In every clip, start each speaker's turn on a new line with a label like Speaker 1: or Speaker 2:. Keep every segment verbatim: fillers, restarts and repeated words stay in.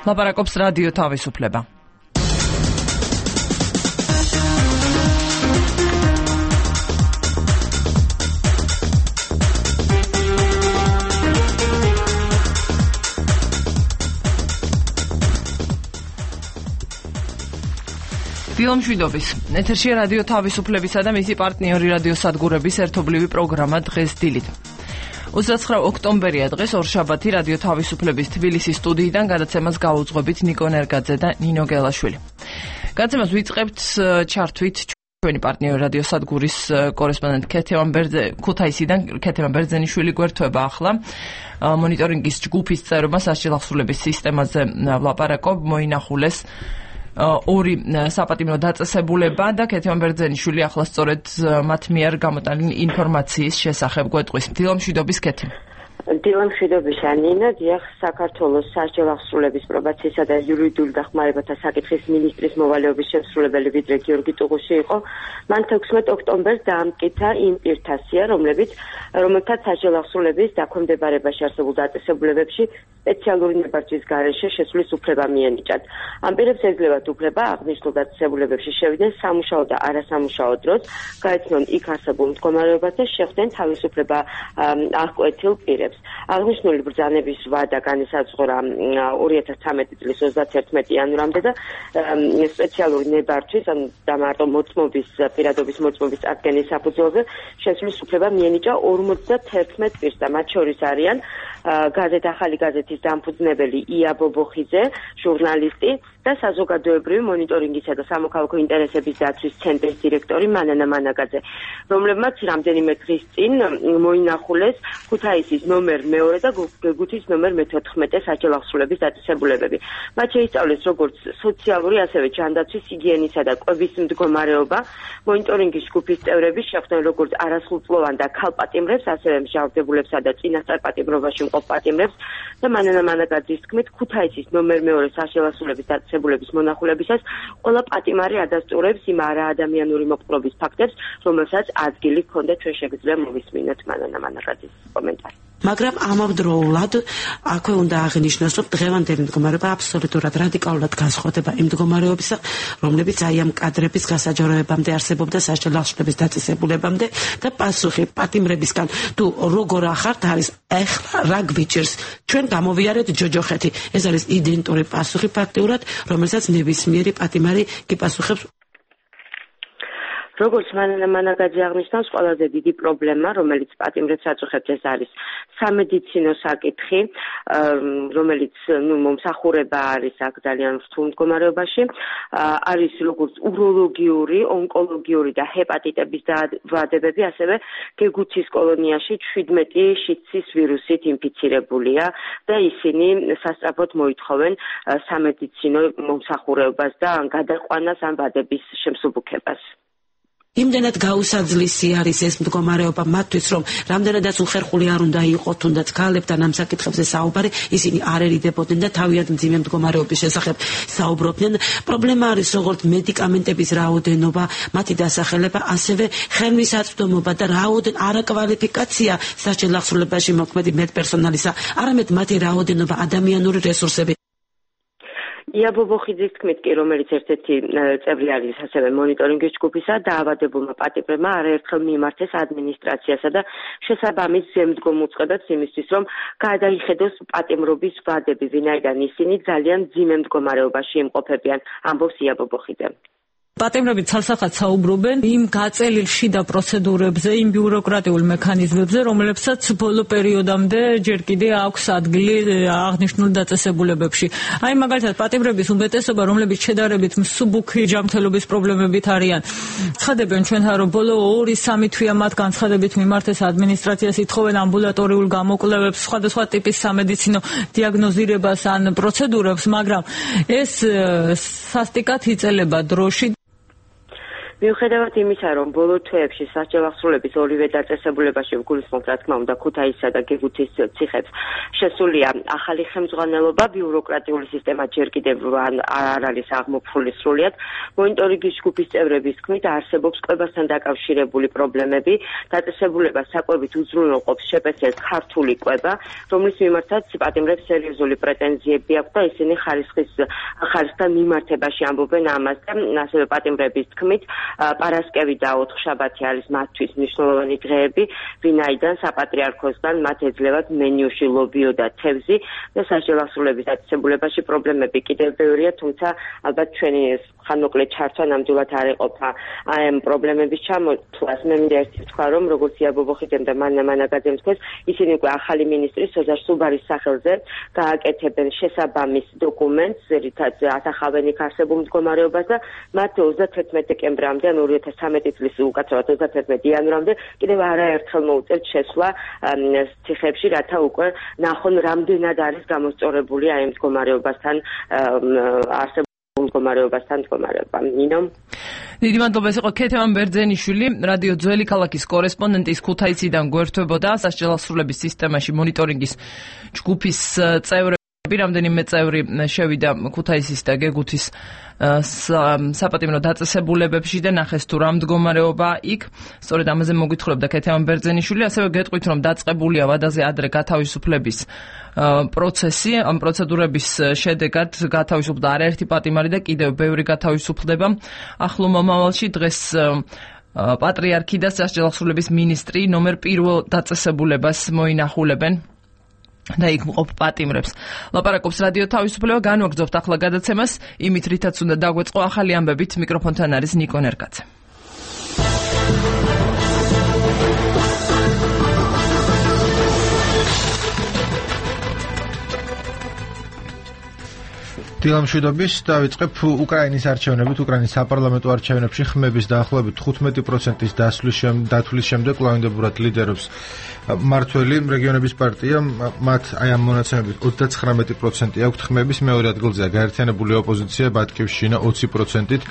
Speaker 1: ლაპარაკობს რადიო თავისუფლება. ფილმშვიდობის ეთერშია რადიო თავისუფლებისა და მისი პარტნიორი რადიო სადგურების ერთობლივი პროგრამა დღეს დილით. ოცდაცხრა ოქტომბერია დღეს ორშაბათი რადიო თავისუფლების თბილისის სტუდიიდან გადაცემას გაუძღვებით ნიკო ნერგაძე და ნინო გელაშვილი. გადაცემას ვიწყებთ ჩართვით ჩვენი პარტნიორი რადიო სადგურის კორესპონდენტ ქეთევან ბერძე ქუთაისიდან ქეთევან ბერძენიშვილი გვერდება ახლა. მონიტორინგის ჯგუფის წევრობა სასჯელ ახსრულების სისტემაზე ვლაპარაკობ, მოინახულეს ორი საპატიმრო დაწესებულება და ქეთევან ბერძენიშვილი ახლა სწორედ მათ მიერ გამოტანილი ინფორმაციის შესახებ გვეტყვის. დილამშვიდობის ქეთი.
Speaker 2: დილამშვიდობისა ნინა, დიახ, საქართველოს სასჯელ ახსრულების პრობაციისა და იურიდიული დახმარებათა საკითხის მინისტრის მოვალეობის შემსრულებელი ვიდრე გიორგი ტუღუში იყო. მან თექვსმეტ ოქტომბერს დაამტკიცა იმ პირთასია, რომლებიც რომელთაც სასჯელ ახსრულების დაქვემდებარებაში არსებულ დაწესებულებებში სპეციალური ნებართვის გარეშე შესვლის უფლება მიენიჭათ. ამ პირებს ეძლებათ უფლება აღნიშნულ დაწესებულებებში შევიდნენ სამუშაო და არასამუშაო დროს, გაეცნონ იქ არსებულ მდგომარეობას და შეხვდნენ თავისუფლება აღკვეთილ პირებს. აღნიშნული ბრძანების ვადა განისაზღვრა ორი ათას ცხრამეტი წლის ოცდაათი იანვრამდე და სპეციალური ნებართვის და მარტო მოწმობის პირადობის მოწმობის წარდგენის საფუძველზე შესვლის უფლება მიენიჭა ორმოცდათერთმეტ პირს და მათ შორის არიან გაზეთ ახალი გაზეთის დამფუძნებელი ია ბობოხიძე, ჟურნალისტი და საზოგადოებრივი მონიტორინგისა და სამოქალაქო ინტერესების დაცვის ცენტრის დირექტორი მანანა მანაგაძე, რომლებმაც რამდენიმე დღის წინ მოინახულეს ქუთაისის ნომერ მეორე და გეგუთის ნომერ მეთოთხმეტე სასჯელ ახსრულების დაწესებულებები. მათ შეისწავლეს როგორც სოციალური, ასევე ჯანდაცვის, ჰიგიენისა და კვების მდგომარეობა. მონიტორინგის ჯგუფის წევრები შეხვდნენ როგორც არასრულწლოვან და ქალ პატიმრებს, ასევე მსჯავრდებულებსა და წინასწარ პატიმრობაში მყოფ პატიმრებს და მანანა მანაგაძის თქმით, ქუთაისის ნომერ მეორე სასჯელ ახსრულების დაწესებულების მონახულებისას ყველა პატიმარი ადასტურებს იმ არაადამიანური მოპყრობის ფაქტებს, რომელსაც ადგილი ჰქონდა. ჩვენ შეგვიძლია მოვისმინოთ მანანა მანაგაძის კომენტარი.
Speaker 3: მაგრამ ამავდროულად აქვე უნდა აღნიშნოს, რომ დღევანდელი მდგომარეობა აბსოლუტურად რადიკალურად განსხვავდება იმ მდგომარეობისა, რომლებიც აი ამ კადრების გასაჯაროებამდე არსებობდა სასჯელ ახსრულების დაწესებულებამდე და პასუხი პატიმრებისგან თუ როგორ ახართ არის ეხლა რა გვიჭირს, ჩვენ გამოვიარეთ ჯოჯოხეთი. ეს არის იდენტური პასუხი ფაქტიურად, რომელსაც ნებისმიერი პატიმარი გიპასუხებს.
Speaker 2: როგორც მანანა მანაგაძე აღნიშნავს, ყველაზე დიდი პრობლემა, რომელიც პატიმრებს აწუხებს, ეს არის სამედიცინო საკითხი, რომელიც ნუ მომსახურება არის აქ ძალიან რთულ მდგომარეობაში, არის როგორც უროლოგიური, ონკოლოგიური და ჰეპატიტების დაავადებები, ასევე გეგუთის კოლონიაში შვიდმეტი შიდსის ვირუსით ინფიცირებულია და ისინი სასწრაფოდ მოითხოვენ სამედიცინო მომსახურებას და გადაყვანას ამ ვადების შემსუბუქებას.
Speaker 3: იმდენად გაუსაძლისი არის ეს მდგომარეობა მათთვის, რომ რამდენადაც უხერხული არ უნდა იყოს თუნდაც ქალებთან ამ საკითხებზე საუბარი, ისინი არ ერიდებოდნენ და თავიანთ მძიმე მდგომარეობის შესახებ საუბრობდნენ. პრობლემა არის როგორც მედიკამენტების რაოდენობა, მათი დასახელება, ასევე ხელმისაწვდომობა და რაოდენ არაკვალიფიკაცია სასჯელ ახსრულებაში მოქმედი მედპერსონალისა, არამედ მათი რაოდენობა, ადამიანური რესურსები.
Speaker 2: ია ბობოხიძის თქმით კი, რომელიც ერთ-ერთი წევრი არის ასევე მონიტორინგის ჯგუფისა, დაავადებულმა პატიმრებმა არაერთხელ მიიმართეს ადმინისტრაციასა და შესაბამის ზემდგომ უწყებებს იმისთვის, რომ გადაიხედოს პატიმრობის ვადები, ვინაიდან ისინი ძალიან მძიმე მდგომარეობაში იმყოფებიან, ამბობს ია ბობოხიძე.
Speaker 4: პატიმრები ცალსახად საუბრობენ იმ გაწელილ შიდა პროცედურებზე, იმ ბიუროკრატიულ მექანიზმებზე, რომლებსაც ბოლო პერიოდამდე ჯერ კიდე აქვს ადგილი აღნიშნულ დაწესებულებებში. აი მაგალითად პატიმრების უმეტესობა, რომლებიც შედარებით მსუბუქი ჯანმრთელობის პრობლემებით არიან, ცხადებენ ჩვენთან, რომ ბოლო ორი სამი თვეა მათ განცხადებით მიმართეს ადმინისტრაციას, ითხოვენ ამბულატორიულ გამოკვლევებს, სხვადასხვა ტიპის სამედიცინო დიაგნოზირებას ან პროცედურებს, მაგრამ ეს სასტიკად იწელება დროში.
Speaker 2: მიუხედავად იმისა, რომ ბოლო თვეებში სასჯელ აღსრულების ორივე დაწესებულებაში გულისხმობთ, რა თქმა უნდა, ქუთაისსა და გეგუთის ციხებს შესულია ახალი ხელმძღვანელობა, ბიუროკრატიული სისტემა ჯერ კიდევ არ არის აღმოფხვრილი სრულიად. მონიტორინგის ჯგუფის წევრების თქმით, არსებობს კვებასთან დაკავშირებული პრობლემები. დაწესებულებას საკვებით უზრუნველყოფს შეპეცეს ქართული კვება, რომლის მიმართაც პატიმრებს სერიოზული პრეტენზიები აქვს და ისინი ხარისხის ხარისხთან მიმართებაში ამბობენ ამას და ასევე პატიმრების თქმით, პარასკევი და ოთხშაბათი არის მათთვის მნიშვნელოვანი დღეები, ვინაიდან საპატრიარქოსგან მათ ეძლევათ მენიუში ლობიო და თევზი და სასჯელ აღსრულების დაწესებულებაში პრობლემები კიდევ ბევრია, თუმცა ალბათ ჩვენი ხანმოკლე ჩართვა ნამდვილად არ ეყოფა ამ პრობლემების ჩამოთვლას. მე მინდა ერთი ვთქვა, რომ როგორც ია ბობოხიძემ და მანნა მანაგაძემ თქვეს, ისინი უკვე ახალი მინისტრი სოზარ სუბარის სახელზე გააკეთებენ შესაბამის დოკუმენტს, რითაც ასახავენ იქ არსებულ მდგომარეობას და მათ ოცდათერთმეტი დეკემბრამდე, ანუ ორი ათას ცხრამეტი წლის უკაცრავად ოცდათერთმეტი იანვრამდე კიდევ არაერთხელ მოუწევთ შესვლა ციხებში, რათა უკვე ნახონ რამდენად არის გამოსწორებული აი მდგომარეობასთან არსებულ მდგომარეობასთან მდგომარეობა. ნინო.
Speaker 1: დიდი მადლობა, ეს იყო ქეთევან ბერძენიშვილი, რადიო ძველი ქალაქის კორესპონდენტის ქუთაისიდან გვერდებოდა სასჯელ აღსრულების სისტემაში მონიტორინგის ჯგუფის წევრები. რამდენიმე წევრი შევიდა ქუთაისის და გეგუთის საპატიმრო დაწესებულებებში და ნახეს თუ რა მდგომარეობა იქ. სწორედ ამაზე მოგვითხრობდა ქეთევან ბერძენიშვილი, ასევე გეტყვით, რომ დაწყებულია ვადაზე ადრე გათავისუფლების პროცესი. ამ პროცედურების შედეგად გათავისუფლდა არაერთი პატიმარი და კიდევ ბევრი გათავისუფლდება. ახლო მომავალში დღეს პატრიარქი და სასჯელ აღსრულების მინისტრი ნომერ პირველ დაწესებულებას მოინახულებენ და იქ მყოფ პატიმრებს. ლაპარაკობს რადიო თავისუფლება, განვაგრძობთ ახლა გადაცემას, იმით რითაც უნდა დაგვეწყო ახალი ამბებით. მიკროფონთან არის ნიკო ნერკაძე.
Speaker 5: დილამშვიდობის დავიწყებ უკრაინის არჩევნებით. უკრაინის საპარლამენტო არჩევნებში ხმების დაახლოებით თხუთმეტი პროცენტის დათვლის შემდეგ კვლავინდებურად ლიდერობს მართველი რეგიონების პარტია. მათ აი ამ მონაცემებით ოცდაცხრამეტი პროცენტი აქვთ ხმების, მეორე ადგილზეა გაერთიანებული ოპოზიცია ბატკივშინა ოცი პროცენტით,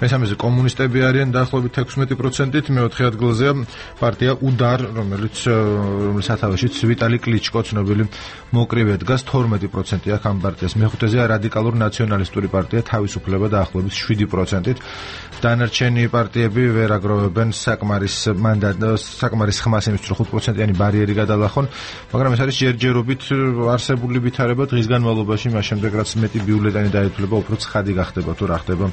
Speaker 5: მესამეზე კომუნისტები არიან დაახლოებით ექვსმეტი პროცენტით, მეოთხე ადგილზეა პარტია უდარ, რომელიც რომლის სათავეშიც ვიტალი კლიჩკო ცნობილი მოკრივე დგას, თორმეტი პროცენტი აქვს ამ პარტიას. მეხუთეზეა რადიკალური ნაციონალისტური პარტია თავისუფლება დაახლოებით შვიდი პროცენტით. დანარჩენი პარტიები ვერ აგროვებენ საკმარის მანდატს, საკმარის ხმას იმისთვის, რომ ხუთ პროცენტიანი ბარიერი გადალახონ, მაგრამ ეს არის ჯერჯერობით არსებული ვითარება დღის განმავლობაში, მას შემდეგ რაც მეტი ბიულეტენი დაეთვლება, უფრო ცხადი გახდება თუ რა ხდება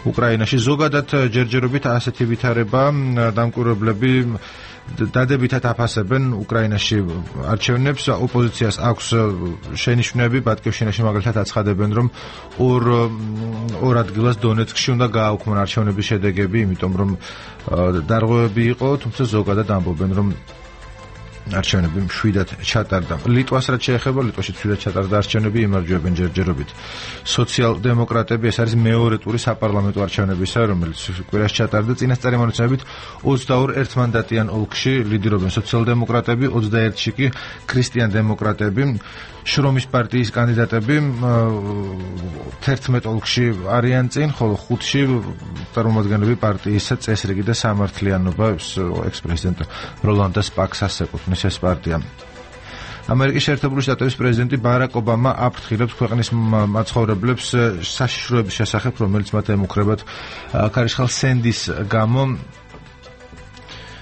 Speaker 5: უკრაინაში. ზოგადად ჯერჯერობით ასეთი ვითარება დამკვირვებლები დადებითად აფასებენ უკრაინაში არჩევნებს. ოპოზიციას აქვს შენიშვნები, ბატკივშინაში მაგალითად აცხადებენ, რომ ორ ორ ადგილას დონეცკში უნდა გააუქმონ არჩევნების შედეგები, იმიტომ რომ დარღვევები იყო, თუმცა ზოგადად ამბობენ, რომ არჩევნები მშვიდად ჩატარდა. ლიტვას რაც შეეხება, ლიტვაში მშვიდად ჩატარდა არჩევნები, იმარჯვებენ ჯერჯერობით სოციალ-დემოკრატები. ეს არის მეორე ტური საპარლამენტო არჩევნებისა, რომელიც კვირაში ჩატარდა. წინასწარი მონაცემებით ოცდაორ ერთმანდატიან ოლქში ლიდერობენ სოციალ-დემოკრატები, ოცდაერთში კი ქრისტიან-დემოკრატები. შრომის პარტიის კანდიდატები თერთმეტ ოლქში არიან წინ, ხოლო ხუთში წარმომადგენლები პარტიისა წესრიგი და სამართლიანობა ექს-პრეზიდენტ როლანდ პაქსას ეკუთვნის ეს პარტია. ამერიკის შეერთებული შტატების პრეზიდენტი ბარაკ ობამა აფრთხილებს ქვეყნის მაცხოვრებლებს საშიშროების შესახებ, რომელიც მათ ემუქრებათ ქარიშხალ სენდის გამო.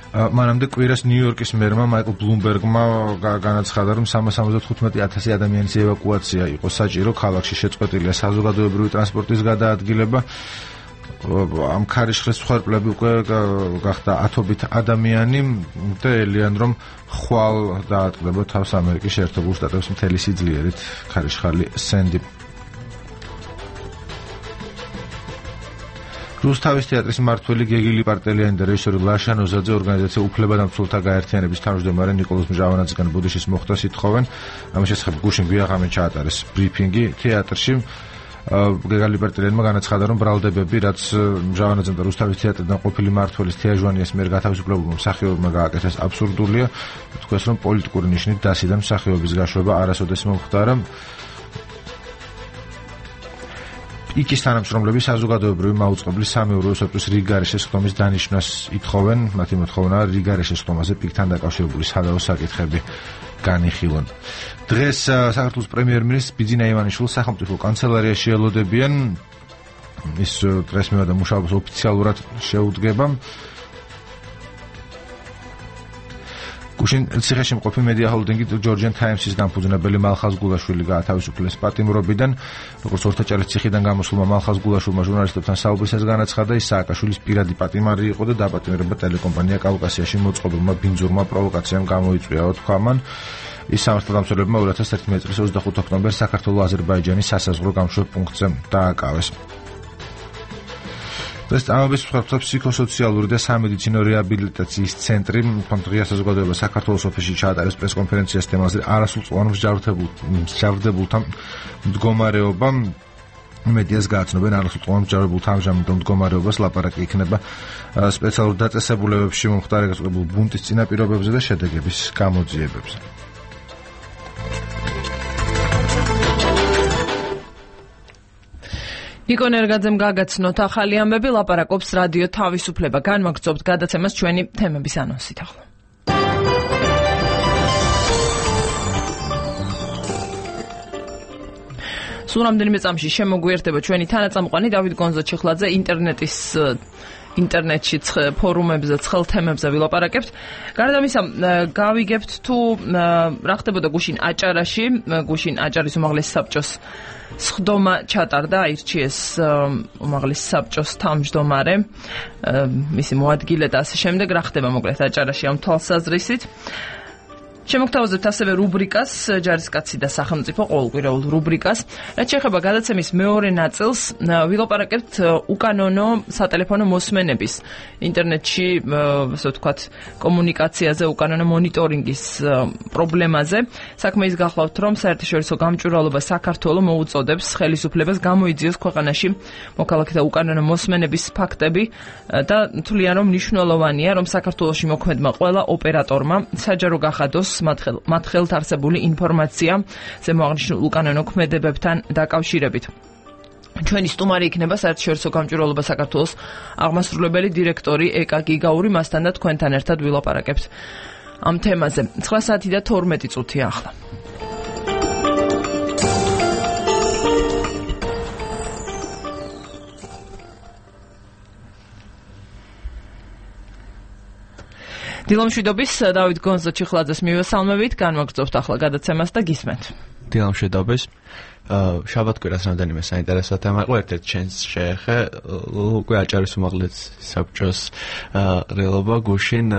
Speaker 5: მანამდე კვირას ნიუ-იორკის მერმა მაიკლ ბლუმბერგმა განაცხადა, რომ სამას ორმოცდათხუთმეტი ათასი ადამიანის ევაკუაცია იყო საჭირო, ქალაქში შეწყვეტილია საზოგადოებრივი ტრანსპორტის გადაადგილება. ამ ქარიშხლის მსხვერპლები უკვე გახდა ათობით ადამიანი და ელიან, რომ ხვალ დაატყდება თავს ამერიკის შეერთებულ შტატებს მთელი სიძლიერით ქარიშხალი სენდი. რუსთავის თეატრის მმართველი გეგილი პარტელიანი და რეჟისორი ლაშა ნოზაძე ორგანიზაცია უფლებადამცველთა გაერთიანების თავმჯდომარე ნიკოლოზ მჟავანაძისგან ბუდიშის მოხდას ითხოვენ. ამის შესახებ გუშინ გვიაღამე ჩაატარეს ბრიფინგი თეატრში. გეგალი პარტელიანმა განაცხადა, რომ ბრალდებები, რაც მჟავანაძემ და რუსთავის თეატრიდან ყოფილი მმართველის თეაჟვანიას მიერ გათავისუფლებულმა მსახიობმა გააკეთეს აბსურდულია. თქვეს, რომ პოლიტიკური ნიშნით დასიდან მსახიობის გაშვება არასოდეს მომხდარა. იკის თანამშრომლები საზოგადოებრივი მაუწყებლის სამეურვეო სოფლის რიგგარეშე სხდომის დანიშვნას ითხოვენ. მათი მოთხოვნა რიგგარეშე სხდომაზე პიკთან დაკავშირებული სადავო საკითხები განიხილონ. დღეს საქართველოს პრემიერ-მინისტრ ბიძინა ივანიშვილს სახელმწიფო კანცელარიაში ელოდებიან. ის დღეს მივიდა მუშაობას ოფიციალურად შეუდგება. გუშინ ციხეში მყოფი მედია ჰოლდინგი ჯორჯიან თაიმსის განფუძნებელი მალხაზ გულაშვილი გაათავისუფლეს პატიმრობიდან. როგორც ორთაჭალის ციხიდან გამოსულმა მალხაზ გულაშვილმა ჟურნალისტებთან საუბრისას განაცხადა, ის სააკაშვილის პირადი პატიმარი იყო და დაპატიმრება ტელეკომპანია კავკასიაში მოწყობილმა ბინძურმა პროვოკაციამ გამოიწვია, თქვა მან. ის სამართალდამცველებმა ორი ათას ერთმანეტი წლის ოცდახუთ ოქტომბერს საქართველოს-აზერბაიჯანის სასაზღვრო გამშვებ პუნქტზე დააკავეს. ეს ამბის მსხვერპლთა ფსიქოსოციალური და სამედიცინო რეაბილიტაციის ცენტრი დღეს საზოგადოება საქართველოს ოფისში ჩაატარეს პრესკონფერენციას თემაზე არასრულწლოვან მსჯავრდებულთა მდგომარეობა. მედიას გააცნობენ არასრულწლოვან მსჯავრდებულთა ამჟამინდელ მდგომარეობას, ლაპარაკი იქნება სპეციალურ დაწესებულებებში მომხდარი გასაგებულ ბუნტის წინაპირობებზე და შედეგების გამოძიებებზე.
Speaker 1: ნიკო ნერგაძემ გაგაცნოთ ახალი ამბები, ლაპარაკობს რადიო თავისუფლება. განვაგრძობთ გადაცემას ჩვენი თემების ანონსით ახლა. სულ რამდენიმე წამში შემოგვიერთდება ჩვენი თანაწამყვანი დავით გონზა-ჩიხლაძე. ინტერნეტის ინტერნეტში ფორუმებზე, ცხელ თემებზე ვილაპარაკებთ. გარდა ამისა, გავიგებთ თუ რა ხდებოდა გუშინ აჭარაში, გუშინ აჭარის უმაღლესი საბჭოს სხდომა ჩატარდა, აირჩიეს უმაღლესი საბჭოს თავმჯდომარე, მისი მოადგილე და ასე შემდეგ. რა ხდება მოკლედ აჭარაში ამ თვალსაზრისით? შემოგთავაზებთ ასევე რუბრიკას ჯარისკაცი და სახელმწიფო, ყოველკვირეულ რუბრიკას. რაც შეეხება გადაცემის მეორე ნაწილს, ვილაპარაკებთ უკანონო სატელეფონო მოსმენების ინტერნეტში, ასე ვთქვათ, კომუნიკაციაზე, უკანონო მონიტორინგის პრობლემაზე. საქმე ის გახლავთ, რომ საერთაშორისო გამჭვირვალობა საქართველოს მოუწოდებს ხელისუფლებას გამოიძიოს ქვეყანაში მოქალაქეთა უკანონო მოსმენების ფაქტები და თვლიან, რომ მნიშვნელოვანია, რომ საქართველოში მოქმედმა ყველა ოპერატორმა საჯარო გახადოს მათ ხელთ არსებული ინფორმაცია ზემოაღნიშნულ უკანონო ქმედებებთან დაკავშირებით. ჩვენი სტუმარი იქნება საერთაშორისო გამჭვირვალობა საქართველოს აღმასრულებელი დირექტორი ეკა გიგაური, მასთან და თქვენთან ერთად ვილაპარაკებთ ამ თემაზე. ცხრა საათი და თორმეტი წუთია ახლა. დილამშვიდობის დავით გონზა-ჩიხლაძეს მივესალმებით, განვაგრძობთ ახლა გადაცემას და გისმენთ.
Speaker 6: დილამშვიდობის. შაბათ-კვირას რამდენიმე საინტერესო თემა იყო, ერთ-ერთი ჩვენს შეეხე, უკვე აჭარის უმაღლესი საბჭოს ყრილობა გუშინ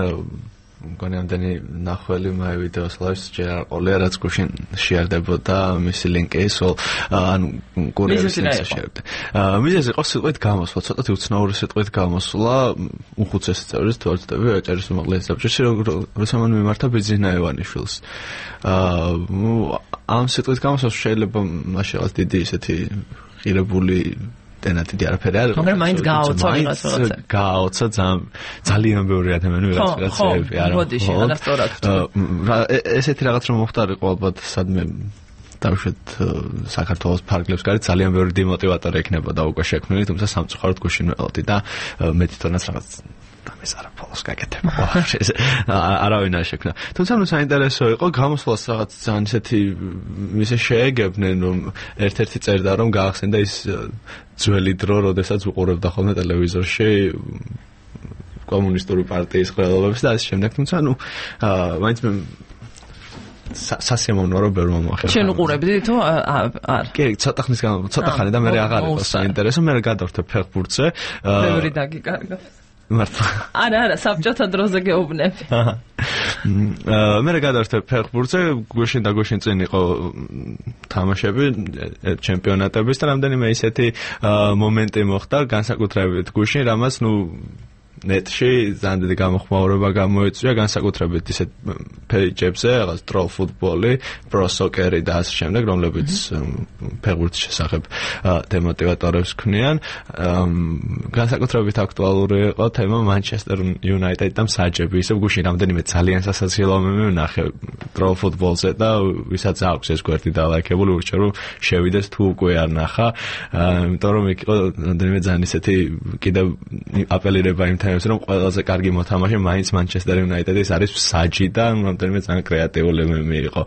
Speaker 6: მგონი ამდენი ნახველი მაი ვიდეოს ლაივს ჯერ არ ყოლია, რაც გუშინ შეარდებოდა მისი ლინკი, სულ ანუ კურიერის შეერდა. მიზეზი იყო სიტყვით გამოსვლა, ცოტათი უცნაური სიტყვით გამოსვლა უხუცესი წევრის თვალწინები აჭარის უმაღლესი საბჭოში, როცა მან მიმართა ბიძინა ივანიშვილს. ამ სიტყვით გამოსვლა შეიძლება მაშინ რაღაც დიდი ისეთი ღირებული დენათი არაფერი არ იყო.
Speaker 1: მაგრამ მაინც გააოცა ვიღაც რაღაცა.
Speaker 6: გააოცა ძალიან ბევრი ადამიანი ვიღაც რაღაცები არა.
Speaker 1: ხო, ბოდიში, არასწორად.
Speaker 6: ესეთი რაღაც რომ მოხდარიყო ალბათ სადმე დავუშვათ საქართველოს ფარგლებს გარეთ ძალიან ბევრი დემოტივატორი ექნებოდა უკვე შექმნილი, თუმცა სამწუხაროდ გუშინ ველოდი და მე თვითონაც რაღაც ამის არა ფოლოს გაკეთება. არავინ არ შექმნა. თუმცა ნუ საინტერესო იყო გამოსვლას რაღაც ძალიან ისეთი ისე შეეგებნენ, რომ ერთ-ერთი წერდა რომ გაახსენდა ის ძველი დრო, როდესაც უყურებდა ხოლმე ტელევიზორში კომუნისტური პარტიის ყრილობებს და ასე შემდეგ. თუმცა ნუ მაინც მე სასიამოვნო რომ ბევრი მომახერხა.
Speaker 1: შენ უყურებდი თუ არ?
Speaker 6: კი, ცოტა ხნის განმავლობაში, ცოტა ხანი და მე აღარ იყო საინტერესო, მე გადავდე ფეხბურთზე.
Speaker 1: ბევრი დაგიკარგავს.
Speaker 6: მართლა.
Speaker 1: არა, არა, საბჭოთა დროზე გეუბნები.
Speaker 6: მე გადავდე ფეხბურთზე, გუშინ და გუშინ წინ იყო თამაშები, ჩემპიონატების და რამდენიმე ისეთი მომენტი მოხდა, განსაკუთრებით გუშინ, რამაც ნუ ნეტში ძალიან დიდი გამოხმაურება გამოიწვია განსაკუთრებით ისეთ პეიჯებზე, რაღაც ტროლ ფუტბოლი, პრო სოკერი და ასე შემდეგ, რომლებიც ფეხბურთის შესახებ დემოტივატორებს ქმნიან. განსაკუთრებით აქტუალური იყო თემა Manchester United და მსაჯები. ისევ გუშინ რამდენიმე ძალიან სასაცილო მემე ვნახე ტროლ ფუტბოლზე და ვისაც აქვს ეს გვერდი დალაიქებული, ურჩევ რომ შევიდეს თუ უკვე არ ნახა, იმიტომ რომ იქ იყო რამდენიმე ძალიან ისეთი კიდევ აპელირება იმ თემებს, რომ ყველაზე კარგი მოთამაშე მაინც Manchester United-ის არის მსაჯი და რამდენიმე ძალიან კრეატიული მემე იყო.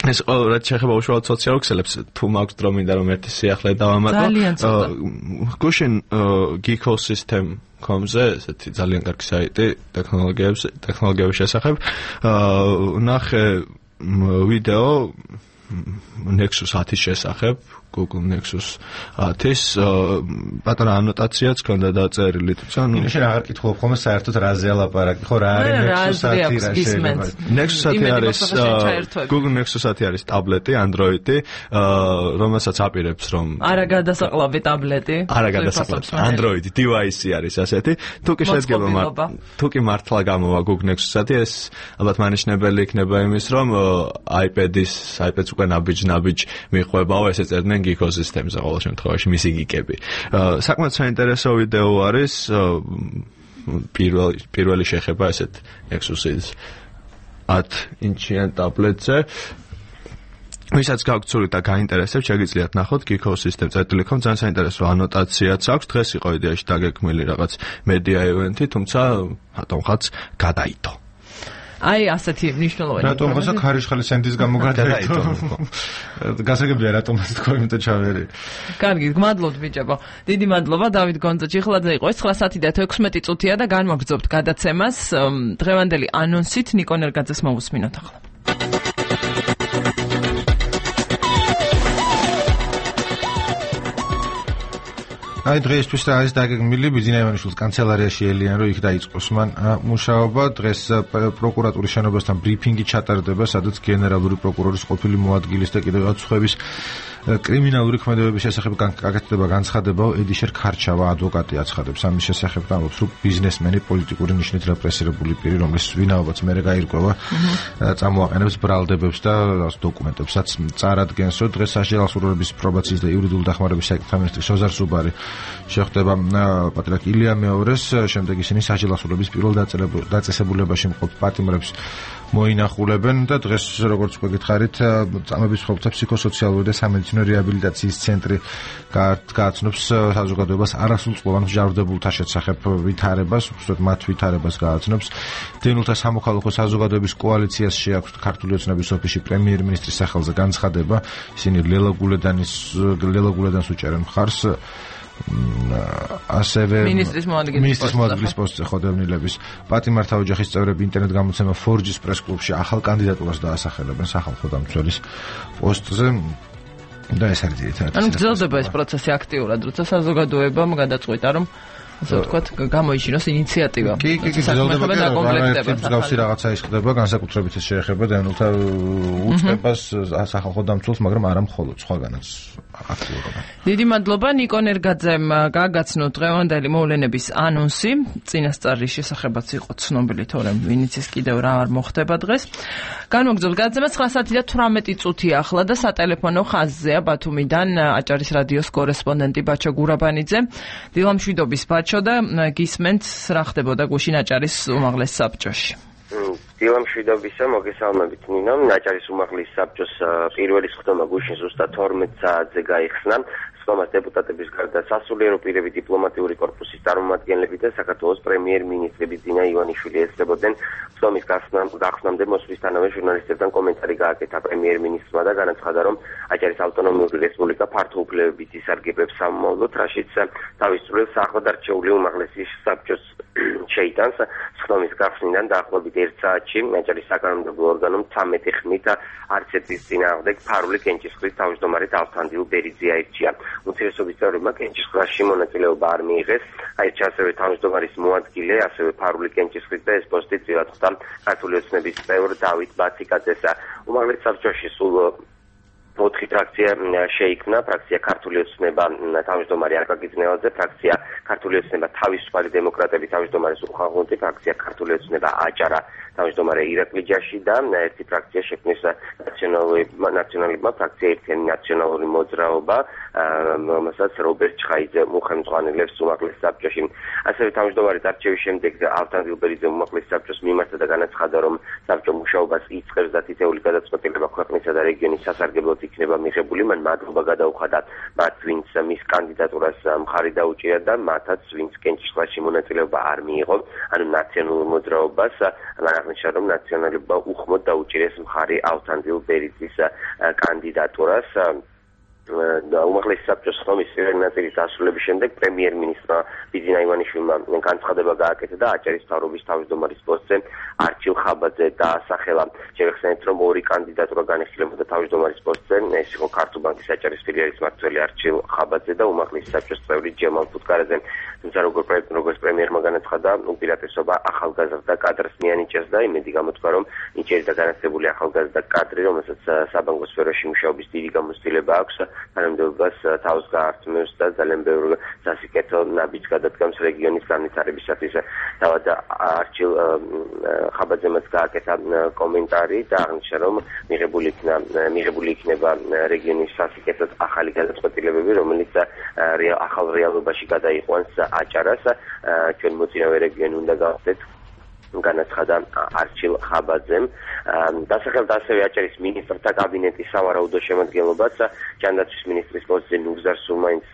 Speaker 6: ეს რაც შეეხება უშუალოდ სოციალურ ქსელებს, თუ მაქვს დრო მინდა რომ ერთი სიახლე დავამატო. გუშინ Geeko System com-ზე ესეთი ძალიან კარგი საიტი ტექნოლოგიების ტექნოლოგიების შესახებ ნახე ვიდეო Nexus ათის შესახებ, Google Nexus ათის პატარა ანოტაციაც ქონდა დაწერილი, თუმცა ნუ
Speaker 5: შენ აღარ კითხულობ ხოლმე საერთოდ რაზეა ლაპარაკი, ხო რა არის Nexus ათი რა შეიძლება.
Speaker 6: Nexus ათი არის Google Nexus ათი არის ტაბლეტი, Android-ი, რომელსაც აპირებს რომ
Speaker 1: არა გადასაყლავი ტაბლეტი,
Speaker 6: არა გადასაყლავი Android device-ი არის ასეთი. თუ კი შედგება თუ კი მართლა გამოვა Google Nexus ათი, ეს ალბათ მანიშნებელი იქნება იმის, რომ iPad-ის, iPad-ს უკვე ნაბიჯ-ნაბიჯ მიყვებაო, ესე წერდნენ Geeko System-ზე ყოველ შემთხვევაში მისი გიკები. საკმაოდ საინტერესო ვიდეო არის, პირველი პირველი შეხება ესეთ Nexus-ის ათ ინჩიან ტაბლეტზე. ვისაც გაქვთ სული და გაინტერესებთ, შეგიძლიათ ნახოთ Geeko System წერტილი კომ, ძალიან საინტერესო ანოტაციაც აქვს. დღეს იყო იდეაში დაგეგმილი რაღაც media event-ი, თუმცა რატომღაც გადაიდო.
Speaker 1: აი ასეთი მნიშვნელოვანი.
Speaker 5: რატომღაც ქარიშხალის სენდის გამო გადაიდო. გასაგებია რატომღაც თქვა იმიტომ ჩავერი.
Speaker 1: კარგი, გმადლობთ ბიჭებო. დიდი მადლობა დავით გონძაჩიხლაძე იყო. ეს ცხრა საათი და თექვსმეტი წუთია და განვაგრძობთ გადაცემას. დღევანდელი ანონსით ნიკო ნერგაძეს მოვუსმინოთ ახლა.
Speaker 5: აი დღეისთვის რა არის დაგეგმილი ბიძინა ივანიშვილის კანცელარიაში ელიან რომ იქ დაიწყოს მან მუშაობა. დღეს პროკურატურის შენობასთან ბრიფინგი ჩატარდება, სადაც გენერალური პროკურორის ყოფილი მოადგილის და კიდევ რაღაც სხვების კრიმინალური ქმედებების შესახებ გაკეთდება განცხადება. ედიშერ ქარჩავა ადვოკატი აცხადებს ამის შესახებ და ამბობს რომ ბიზნესმენი პოლიტიკური ნიშნით რეპრესირებული პირი, რომლის ვინაობაც მერე გაირკვევა, წამოაყენებს ბრალდებებს და დოკუმენტებსაც წარადგენს. რომ დღეს სასჯელს სურვილების პრობაციის და იურიდიული დახმარების საკითხთა მინისტრი სოზარ სუბარი შეხვდება პატრიარქ ილია მეორეს, შემდეგ ისინი სასჯელსურების პირველ დაწესებულებაში მყოფ პატიმრებს მოინახულებენ და დღეს როგორც უკვე გითხარით, წამების მცველთა ფსიქოსოციალური და სამედიცინო რეაბილიტაციის ცენტრი გააცნობს საზოგადოებას არასრულწლოვან მსჯავრდებულთა შესახებ ვითარებას, უბრალოდ მათ ვითარებას გააცნობს. დევნილთა სამოქალაქო საზოგადოების კოალიციას შეაქვს ქართული ოცნების ოფისში პრემიერ-მინისტრის სახელზე განცხადება. ისინი ლელა გულედანის ლელა გულედანს უჭერენ მხარს. ასევე
Speaker 1: მინისტრის
Speaker 5: მოადგილის პოსტზე ხოდევნილების პატიმართა ოჯახის წევრები ინტერნეტ გამოცემა four G-ს პრეს-კლუბში ახალ კანდიდატურას დაასახელებენ სახალხო დამცველის პოსტზე და ეს არის ერთად.
Speaker 1: ანუ გრძელდება ეს პროცესი აქტიურად, როცა საზოგადოებამ გადაწყვიტა რომ ასე ვთქვათ, გამოიჩინოს ინიციატივა.
Speaker 5: კი, კი, კი, გრძელდება და კომპლექტება. მსგავსი რაღაცა ის ხდება, განსაკუთრებით ეს შეეხება დევნილთა უწყებას სახალხო დამცველს, მაგრამ არა მხოლოდ სხვაგანაც აქტიურობა.
Speaker 1: დიდი მადლობა ნიკო ნერგაძემ გაგაცნო დღევანდელი მოვლენების ანონსი. წინასწარის შესახებაც იყო ცნობილი, თორემ ვინც ის კიდევ რა არ მოხდება დღეს. განვაგრძობთ გადაცემა ცხრა საათი და თვრამეტი წუთი ახლა და სატელეფონო ხაზზეა ბათუმიდან აჭარის რადიოს კორესპონდენტი ბაჩო გურაბანიძე. დილამშვიდობის ბაჩო და გისმენთ რა ხდებოდა გუშინ აჭარის უმაღლეს საბჭოში.
Speaker 7: დილამშვიდობისა, მოგესალმებით ნინო. აჭარის უმაღლეს საბჭოს პირველი სხდომა გუშინ ზუსტად თორმეტ საათზე გაიხსნა. სხდომას დეპუტატების გარდა სასულიერო პირები, დიპლომატიური კორპუსის წარმომადგენლები და საქართველოს პრემიერ-მინისტრი ბიძინა ივანიშვილი ესწრებოდნენ. სხდომის გახსნამდე მოსვლისთანავე ჟურნალისტებთან კომენტარი გააკეთა პრემიერ-მინისტრმა და განაცხადა, რომ აჭარის ავტონომიური რესპუბლიკა ფართოუფლებებით ისარგებლებს სამომავლოდ, რაშიც თავის წვლილს ახლადარჩეული უმაღლესი საბჭოს შეიტანს. სხდომის გახსნიდან დაახლოებით ერთ საათში აჭარის საკანონმდებლო ორგანომ ცამეტი ხმით არც ერთის წინააღმდეგ ფარული კენჭისყრის თავმჯდომარე დავთანდილ ბერიძე აირჩია. უმცირესობის წევრებმა კენჭისყრაში მონაწილეობა არ მიიღეს. აირჩა ასევე თავმჯდომარის მოადგილე, ასევე ფარული კენჭისყრის და ეს პოსტი წილად ხვდა ქართული ოცნების წევრ დავით ბაციკაძეს. უმაღლეს საბჭოში სულ ოთხი ფრაქცია შეიქმნა, ფრაქცია ქართული ოცნება თავმჯდომარე აკაკი ძნელაძე, ფრაქცია ქართული ოცნება თავისუფალი დემოკრატები თავმჯდომარე სულხან ღუნწი, ფრაქცია ქართული ოცნება აჭარა თავმჯდომარე ირაკლი ჯაში და ერთი ფრაქცია შექმნეს ნაციონალებმა ფრაქცია ერთიანი ნაციონალური მოძრაობა, რომელსაც რობერტ ჩხაიძე მუხემძღვანელებს უმაღლეს საბჭოში. ასევე თავმჯდომარის არჩევის შემდეგ ალთან დილბერიძე უმაღლეს საბჭოს მიმართა და განაცხადა, რომ საბჭო მუშაობას იწყებს და თითეული გადაწყვეტილება ქვეყნისა და რეგიონის სასარგებლოდ იქნება მიღებული. მან მადლობა გადაუხადა მათ, ვინც მის კანდიდატურას მხარი დაუჭირა და მათაც, ვინც კენჭისყრაში მონაწილეობა არ მიიღო, ანუ ნაციონალურ მოძრაობას. მან აღნიშნა, რომ ნაციონალებმა უხმოდ დაუჭირეს მხარი ალთანდილ ბერიძის კანდიდატურას. უმაღლეს საბჭოს ხმის პირველი ნაწილის დასრულების შემდეგ პრემიერ-მინისტრმა ბიძინა ივანიშვილმა განცხადება გააკეთა და აჭარის მთავრობის თავმჯდომარის პოსტზე არჩილ ხაბაძე დაასახელა. შევეხსენებთ, რომ ორი კანდიდატურა განიხილებოდა თავმჯდომარის პოსტზე, ეს იყო ქართულ ბანკის აჭარის ფილიალის მმართველი არჩილ ხაბაძე და უმაღლეს საბჭოს წევრი ჯემალ ფუტკარაძე. თუმცა როგორც პრემიერმა განაცხადა, უპირატესობა ახალგაზრდა კადრს მიანიჭეს და იმედი გამოთქვა, რომ ნიჭიერი და განათლებული ახალგაზრდა კადრი, რომელსაც საბანკო სფეროში მუშაობის დიდი გამოცდილება აქვს, თანამდებობას თავს გაართმევს და ძალიან ბევრ სასიკეთო ნაბიჯს გადადგამს რეგიონის განვითარებისათვის. თავად არჩილ ხაბაძემაც გააკეთა კომენტარი და აღნიშნა, რომ მიღებული იქნა მიღებული იქნება რეგიონის სასიკეთოდ ახალი გადაწყვეტილებები, რომელიც ახალ რეალობაში გადაიყვანს აჭარას. ჩვენ მოწინავე რეგიონი უნდა გავხდეთ, განაცხადა არჩილ ხაბაძემ. დასახელდა ასევე აჭარის მინისტრთა კაბინეტის სავარაუდო შემადგენლობაც. ჯანდაცვის მინისტრის პოსტზე ნურზარ სულმაინს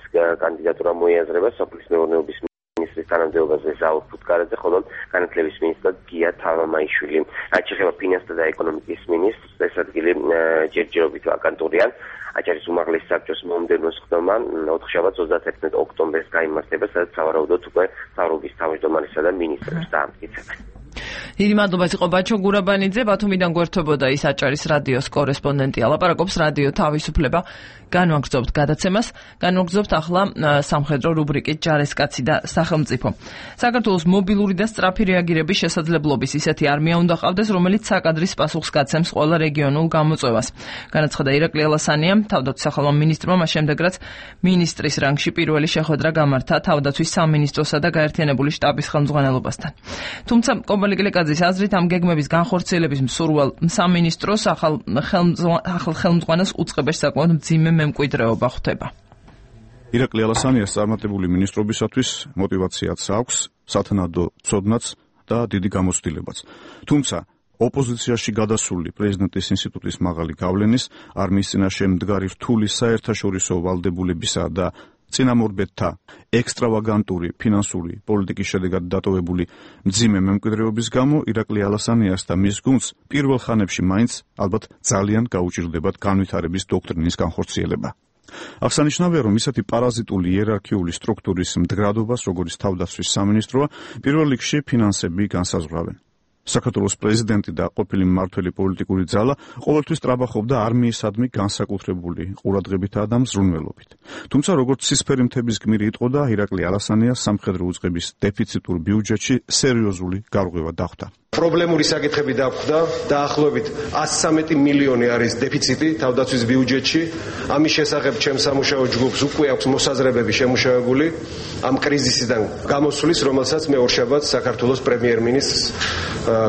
Speaker 7: კანდიდატურა მოიაზრება, სოფლის მეურნეობის მინისტრის თანამდებობაზე ზაურ ფუტკარაძე, ხოლო განათლების მინისტრად გია თავამაიშვილი. რაც შეეხება ფინანსთა და ეკონომიკის მინისტრს, ეს ადგილი ჯერჯერობით ვაკანტურია. აჭარის უმაღლეს საბჭოს მომდევნო სხდომა ოთხშაბათს ოცდაათერთმეტ ოქტომბერს გაიმართება, სადაც სავარაუდოდ უკვე მთავრობის თავმჯდომარესა და მინისტრებს დაამტკიცებენ.
Speaker 1: დიდი მადლობა იყო ბაჩო გურაბანიძე, ბათუმიდან გვერდთვებოდა ის აჭარის რადიოს კორესპონდენტი. ალაპარაკობს რადიო თავისუფლება. განვაგრძობთ გადაცემას, განვაგრძობთ ახლა სამხედრო რუბრიკით ჯარისკაცი და სახელმწიფო. საქართველოს მობილური და სწრაფი რეაგირების შესაძლებლობის ისეთი არმია უნდა ყავდეს, რომელიც საკადრის პასუხს გაცემს ყველა რეგიონულ გამოწვევას. განაცხადა ირაკლი ალასანია, თავდაცვის სახელმწიფო მინისტრმა, მას შემდეგ რაც მინისტრის რანგში პირველი შეხვედრა გამართა თავდაცვის სამინისტროსა და გაერთიანებული შტაბის ხელმძღვანელობასთან. თუმცა კომბალი გლეკაძის აზრით, ამ გეგმების განხორციელების მსურვალ სამინისტროს ახალ ხელმძღვანელს უწყებაში საკმაოდ მძიმე მემკვიდრეობა ხვდება.
Speaker 8: ირაკლი ალასანიას წარმატებული მინისტრობისათვის мотиваციაც აქვს, სათანადო ცოდნაც და დიდი გამოცდილებაც. თუმცა ოპოზიციაში გადასული პრეზიდენტის ინსტიტუტის მაღალი გავლენის, არმიის წინაშე მდგარი რთული საერთაშორისო ვალდებულებისა და წინამორბედთა ექსტრავაგანტური ფინანსური პოლიტიკის შედეგად დატოვებული მძიმე მემკვიდრეობის გამო ირაკლი ალასანიას და მის გუნდს პირველ ხანებში მაინც ალბათ ძალიან გაუჭირდებათ განვითარების დოქტრინის განხორციელება. აღსანიშნავია, რომ ისეთი პარაზიტული იერარქიული სტრუქტურის მდგრადობას, როგორც თავდაცვის სამინისტროა, პირველ რიგში ფინანსები განსაზღვრავენ. საქართველოს პრეზიდენტი და ყოფილი მმართველი პოლიტიკური ძალა ყოველთვის ტრაბახობდა არმიისადმი განსაკუთრებული ყურადღებითა და მზრუნველობით. თუმცა როგორც ცისფერი მთების გმირი იტყოდა, ირაკლი ალასანია სამხედრო უწყების დეფიციტურ ბიუჯეტში სერიოზული გარღვევა დახვდა.
Speaker 9: პრობლემური საკითხები დაგვხვდა, დაახლოებით ათს ცხრამეტი მილიონი არის დეფიციტი თავდაცვის ბიუჯეტში. ამის შესახებ ჩემს სამუშაო ჯგუფს უკვე აქვს მოსაზრებები შემუშავებული ამ კრიზისიდან გამოსulis, რომელსაც მე ორშაბათს საქართველოს პრემიერ-მინისტრს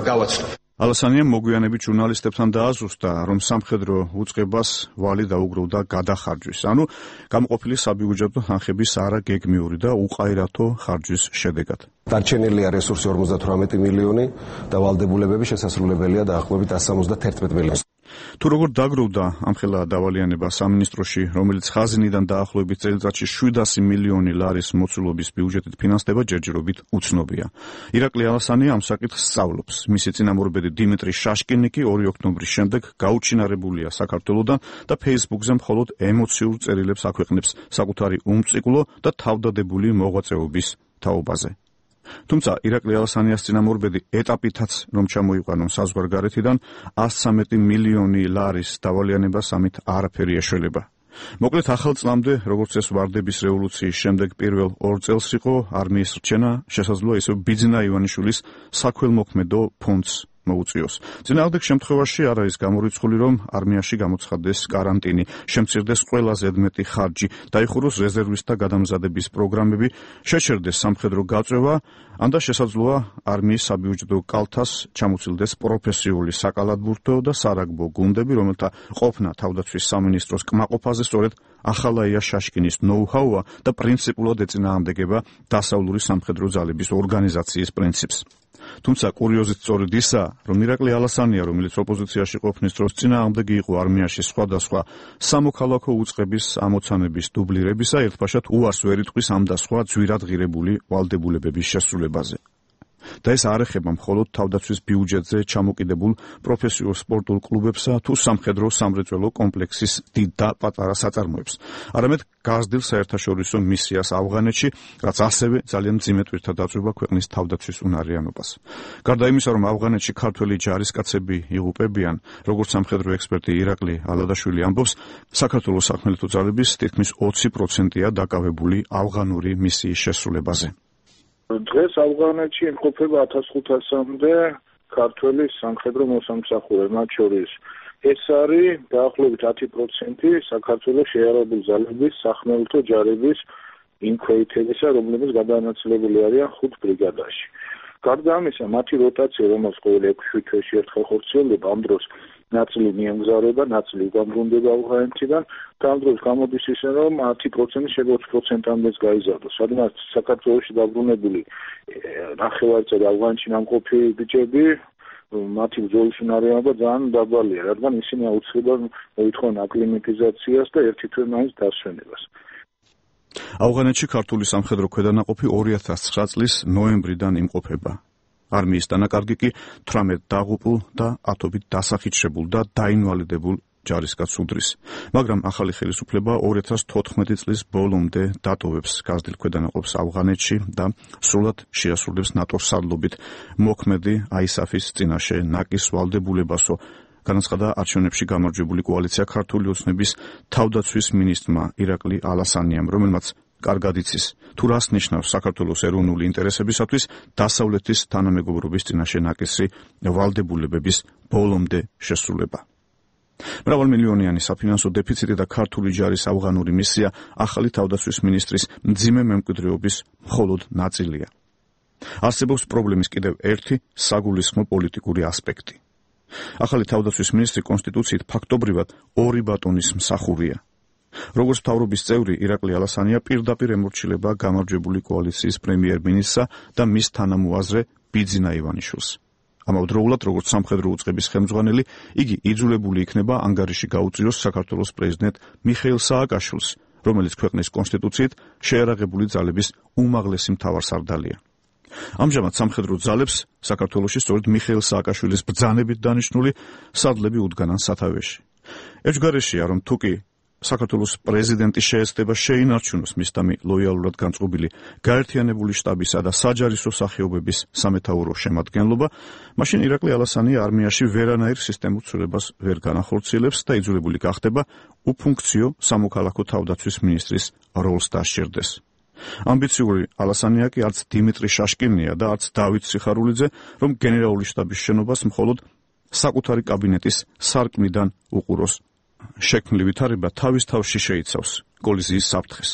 Speaker 9: გავაცნობ.
Speaker 8: ალასანიამ მოგვიანებით ჟურნალისტებთან დააზუსტა, რომ სამხედრო უწყებას ვალი დაუგროვდა გადახარჯვის, ანუ გამოყოფილი საბიუჯეტო თანხების არაგეგმიური და უყაირათო ხარჯვის შედეგად.
Speaker 9: დარჩენილია რესურსი ორმოცდათვრამეტი მილიონი და ვალდებულებები შესასრულებელია დაახლოებით ათს სამოცდათერთმეტ მილიონს.
Speaker 8: თუ როგორ დაგროვდა ამხელა დავალიანება სამინისტროში, რომელიც ხაზინიდან დაახლოებით წელიწადში შვიდასი მილიონი ლარის მოცულობის ბიუჯეტით ფინანსდება, ჯერჯერობით უცნობია. ირაკლი ალასანია ამ საკითხს სწავლობს. მისი წინამორბედი დიმიტრი შაშკინიკი ორი ოქტომბრის შემდეგ გაუჩინარებულია საქართველოდან და Facebook-ზე მხოლოდ ემოციურ წერილებს აქვეყნებს საკუთარი უმწიკლო და თავდადებული მოღვაწეობის თაობაზე. თუმცა ირაკლი ალასანიას წინამორბედი ეტაპითაც რომ ჩამოიყვანონ საზღვარგარეთიდან ათს ცხრამეტი მილიონი ლარის დავალიანებას ამით არაფერი ეშველება. მოკლედ ახალ წლამდე, როგორც ეს ვარდების რევოლუციის შემდეგ პირველ ორ წელს იყო არმიის რჩენა, შესაძლოა ისევ ბიძინა ივანიშვილის საქველმოქმედო ფონდს მოუწიოს. წინააღმდეგ შემთხვევაში არ არის გამორიცხული, რომ არმიაში გამოცხადდეს კარანტინი, შემცირდეს ყველა ზედმეტი ხარჯი, დაიხუროს რეზერვისტთა გადამზადების პროგრამები, შეჩერდეს სამხედრო გაწევა, ან და შესაძლოა არმიის საბიუჯეტო კალთას ჩამოცილდეს პროფესიული საკალათბურთო და სარაგბო გუნდები, რომელთა ყოფნა თავდაცვის სამინისტროს კმაყოფაზე სწორედ ახალაია შაშკინის ნოუ-ჰაუა და პრინციპულად ეწინააღმდეგება დასავლური სამხედრო ძალების ორგანიზაციის პრინციპს. თუმცა კურიოზით სწორედ ისაა, რომ ირაკლი ალასანია, რომელიც ოპოზიციაში ყოფნის დროს წინააღმდეგი იყო არმიაში სხვადასხვა სამოქალაქო უწყების ამოცანების დუბლირებისა, ერთბაშად უარს ვერ იტყვის ამ და სხვა ძვირად ღირებული ვალდებულებების შესრულებაზე. და ეს არ ეხება მხოლოდ თავდაცვის ბიუჯეტზე ჩამოკიდებულ პროფესიულ სპორტულ კლუბებსა თუ სამხედრო სამრეწველო კომპლექსის დიდ და პატარა საწარმოებს, არამედ გაზრდილ საერთაშორისო მისიას ავღანეთში, რაც ასევე ძალიან მძიმე ტვირთად აწვება ქვეყნის თავდაცვის უნარიანობას. გარდა იმისა, რომ ავღანეთში ქართველი ჯარისკაცები იღუპებიან, როგორც სამხედრო ექსპერტი ირაკლი ალადაშვილი ამბობს, საქართველოს სახმელეთო ძალების თითქმის ოცი პროცენტია დაკავებული ავღანური მისიის შესრულებაზე.
Speaker 10: დღეს ავღანეთში იმყოფება ათას ხუთასამდე ქართველი სამხედრო მოსამსახურე, მათ შორის ეს არის დაახლოებით ათი პროცენტი საქართველოს შეიარაღებული ძალების სახმელეთო ჯარების იმ ქვეითებისა, რომლებიც გადანაწილებული არიან ხუთ ბრიგადაში. გარდა ამისა, მათი როტაცია, რომელიც ყოველ ექვსი თვეში ერთხელ ხორციელდება, ამ დროს ნაწილი მიემგზავრება, ნაწილი უგამბრუნდება ავღანეთიდან და ამ დროს გამოდის ისე, რომ ათი პროცენტი შეიძლება ოცი პროცენტამდეც გაიზარდოს. სადაც საქართველოში დაბრუნებული ნახევარწერი ავღანეთში ნამყოფი ბიჭები, მათი ბრძოლის უნარიანობა ძალიან დაბალია, რადგან ისინი აუცილებლად მოითხოვენ აკლიმატიზაციას და ერთი თვე მაინც დასვენებას.
Speaker 8: ავღანეთში ქართული სამხედრო ქვედანაყოფი ორი ათას ცხრა წლის ნოემბრიდან იმყოფება. არმიის დანაკარგი კი თვრამეტ დაღუპულ და ათობით დასახიჩრებულ და დაინვალიდებულ ჯარისკაცს უდრის. მაგრამ ახალი ხელისუფლება ორი ათას თოთხმეტი წლის ბოლომდე დატოვებს გაზრდილ ქვედანაყოფს ავღანეთში და სრულად შეასრულებს ნატოს სარდლობით მოქმედი აისაფის წინაშე ნაკის ვალდებულებასო, განაცხადა არჩევნებში გამარჯვებული კოალიცია ქართული ოცნების თავდაცვის მინისტრმა ირაკლი ალასანიამ, რომელმაც კარგად იცის, თუ რას ნიშნავს საქართველოს ეროვნული ინტერესებისათვის დასავლეთის თანამეგობრობის წინაშე ნაკისი ვალდებულებების ბოლომდე შესრულება. მრავალმილიონიანი საფინანსო დეფიციტი და ქართული ჯარის ავღანური მისია ახალი თავდაცვის მინისტრის მძიმე მემკვიდრეობის მხოლოდ ნაწილია. არსებობს პრობლემის კიდევ ერთი საგულისხმო პოლიტიკური ასპექტი. ახალი თავდაცვის მინისტრი კონსტიტუციით ფაქტობრივად ორი ბატონის მსახურია. როგორც მთავრობის წევრი, ირაკლი ალასანია პირდაპირ ემორჩილება გამარჯვებული კოალიციის პრემიერ-მინისტრსა და მის თანამოაზრე ბიძინა ივანიშვილს. ამავდროულად, როგორც სამხედრო უწყების ხელმძღვანელი, იგი იძულებული იქნება ანგარიში გაუწიოს საქართველოს პრეზიდენტ მიხეილ სააკაშვილს, რომელიც ქვეყნის კონსტიტუციით შეიარაღებული ძალების უმაღლესი მთავარსარდალია. ამჟამად სამხედრო ძალებს საქართველოში სწორედ მიხეილ სააკაშვილის ბრძანებით დანიშნული სადლები უდგანან სათავეში. ერთგვარშია, რომ თუკი საქართველოს პრეზიდენტი შეეცდება შეინარჩუნოს მისდამი ლოიალურად განწყობილი გაერთიანებული შტაბისა და საჯარისო სახეობების სამეთაურო შემადგენლობა, მაშინ ირაკლი ალასანია არმიაში ვერანაირ სისტემურ ცვლილებას ვერ განახორციელებს და იძულებული გახდება უფუნქციო სამოქალაქო თავდაცვის მინისტრის როლს დასჭირდეს. ამბიციური ალასანია კი არც დიმიტრი შაშკინია და არც დავით სიხარულიძე, რომ გენერალური შტაბის შენობას მხოლოდ საკუთარი კაბინეტის სარკმლიდან უყუროს. შექმნილი ვითარება თავის თავში შეიცავს კოლიზიის საფრთხეს.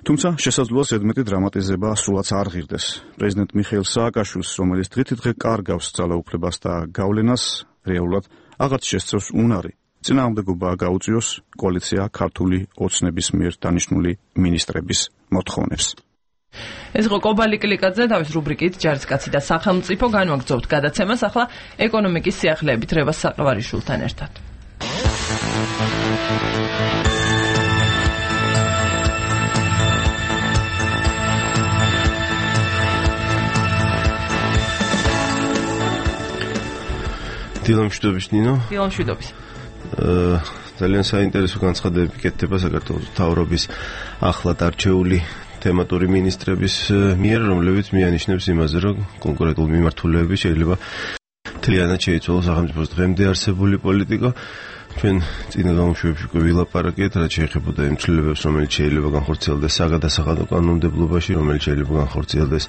Speaker 8: თუმცა შესაძლოა ზედმეტი დრამატიზება სულაც არ ღირდეს. პრეზიდენტ მიხეილ სააკაშვილს, რომელიც დღითიდღე კარგავს ძალაუფლებას და გავლენას, რეალურად აღარც შესწევს უნარი წინააღმდეგობა გაუწიოს კოალიცია ქართული ოცნების მიერ დანიშნული მინისტრების მოთხოვნებს.
Speaker 1: ეს იყო კობალი კლიკაძე თავის რუბრიკით ჯარისკაცი და სახელმწიფო. განვაგრძობთ გადაცემას ახლა ეკონომიკის სიახლეებით რევას საყევარიშვილთან ერთად.
Speaker 11: დილამშვიდობის ნინო.
Speaker 1: დილამშვიდობის.
Speaker 11: ძალიან საინტერესო განცხადებები კეთდება საქართველოს მთავრობის ახლად არჩეული თემატური მინისტრების მიერ, რომლებიც მიანიშნებს იმაზე, რომ კონკრეტული მიმართულეები შეიძლება მთლიანად შეიცვალოს სახელმწიფოს დღემდე არსებული პოლიტიკა. ჩვენ წინა გამოშვებებში უკვე ვილაპარაკეთ, რაც შეეხებოდა იმ ცვლილებებს, რომელიც შეიძლება განხორციელდეს საგადასახადო კანონმდებლობაში, რომელიც შეიძლება განხორციელდეს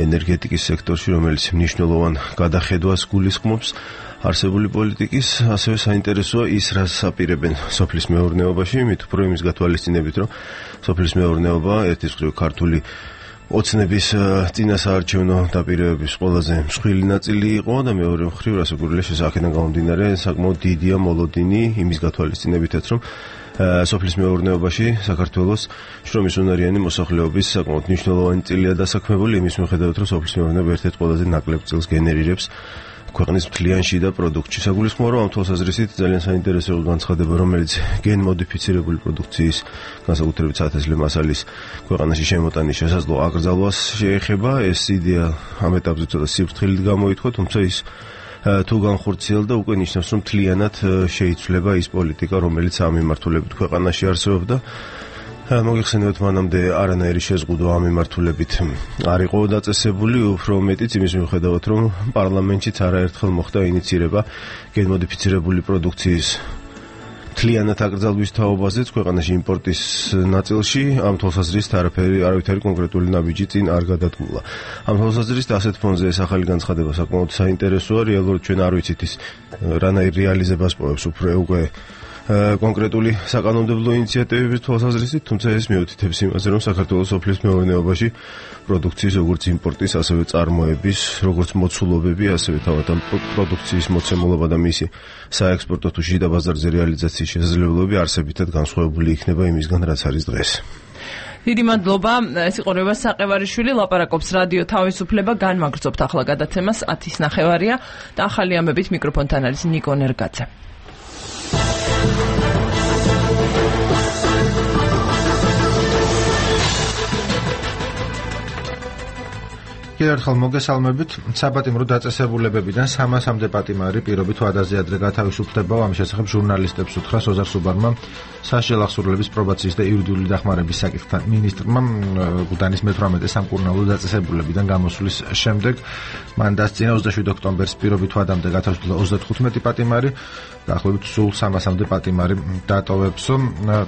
Speaker 11: ენერგეტიკის სექტორში, რომელიც მნიშვნელოვან გადახედვას გულისხმობს არსებული პოლიტიკის, ასევე საინტერესოა ის, რაც აპირებენ სოფლის მეურნეობაში, მით უფრო იმის გათვალისწინებით, რომ სოფლის მეურნეობა ერთის მხრივ ქართული ოცნების წინასაარჩევნო დაპირებების ყველაზე მსხვილი ნაწილი იყო და მეორე მხრივ რასაკვირველია შესაძლოა გამომდინარე საკმაოდ დიდია მოლოდინი იმის გათვალისწინებითაც, რომ სოფლის მეურნეობაში საქართველოს შრომის უნარიანი მოსახლეობის საკმაოდ მნიშვნელოვანი წილია დასაქმებული იმის მიუხედავად, რომ სოფლის მეურნეობა ერთ-ერთ ყველაზე ნაკლებ წილს გენერირებს ქვეყნის მთლიან შიდა პროდუქტში. საგულისხმოა, რომ ამ თვალსაზრისით ძალიან საინტერესო განცხადება, რომელიც გენმოდიფიცირებული პროდუქციის, განსაკუთრებით სათესლე მასალის ქვეყანაში შემოტანის შესაძლო აკრძალვას შეეხება. ეს იდეა ამ ეტაპზე ცოტა სიფრთხილით გამოითქვა, თუმცა ის თუ განხორციელდა, უკვე ნიშნავს, რომ მთლიანად შეიცვლება ის პოლიტიკა, რომელიც ამ მიმართულებით ქვეყანაში არსებობდა. მოგიხსენებათ, მანამდე არანაირი შეზღუდვა ამ მიმართულებით არ იყო დაწესებული, უფრო მეტიც იმის მიუხედავად, რომ პარლამენტშიც არაერთხელ მოხდა ინიცირება გენმოდიფიცირებული პროდუქციის მთლიანად აკრძალვის თაობაზეც ქვეყანაში იმპორტის ნაწილში. ამ თვალსაზრისით არაფერი არავითარი კონკრეტული ნაბიჯი წინ არ გადადგმულა. ამ თვალსაზრისით ასეთ ფონზე ეს ახალი განცხადება საკმაოდ საინტერესოა, რეალურად ჩვენ არ ვიცით ის რანაირ რეალიზებას პოვებს უფრო უკვე კონკრეტული საკანონმდებლო ინიციატივების თვალსაზრისით, თუმცა ეს მიუთითებს იმაზე, რომ საქართველოს სოფლის მეურნეობაში პროდუქციის როგორც იმპორტის, ასევე წარმოების, როგორც მოცულობები, ასევე თავად ამ პროდუქციის მოცემულობა და მისი საექსპორტო თუ შიდა ბაზარზე რეალიზაციის შესაძლებლობები არსებითად განსხვავებული იქნება იმისგან, რაც არის დღეს.
Speaker 1: დიდი მადლობა. ეს იყო რევას საყევარიშვილი, ლაპარაკობს რადიო თავისუფლება, განმაგრძობთ ახლა გადაცემას ათის ნახევარია და ახალი ამბებით მიკროფონთან არის ნიკო ნერგაძე.
Speaker 5: კიდევ ერთხელ მოგესალმებით. საპატიმრო დაწესებულებებიდან სამასამდე პატიმარი პირობით ვადაზე ადრე გათავისუფლდება. ამის შესახებ ჟურნალისტებს უთხრა სოზარ სუბარმა სასჯელ აღსრულების პრობაციის და იურიდიული დახმარების საკითხთან მინისტრმა გუდანის მეთვრამეტე სამკურნალო დაწესებულებიდან გამოსვლის შემდეგ. მან დასწინა ოცდაშვიდი ოქტომბერს პირობით ვადამდე გათავისუფლდა ოცდათხუთმეტი პატიმარი, დაახლოებით სულ სამასამდე პატიმარი დატოვებსო.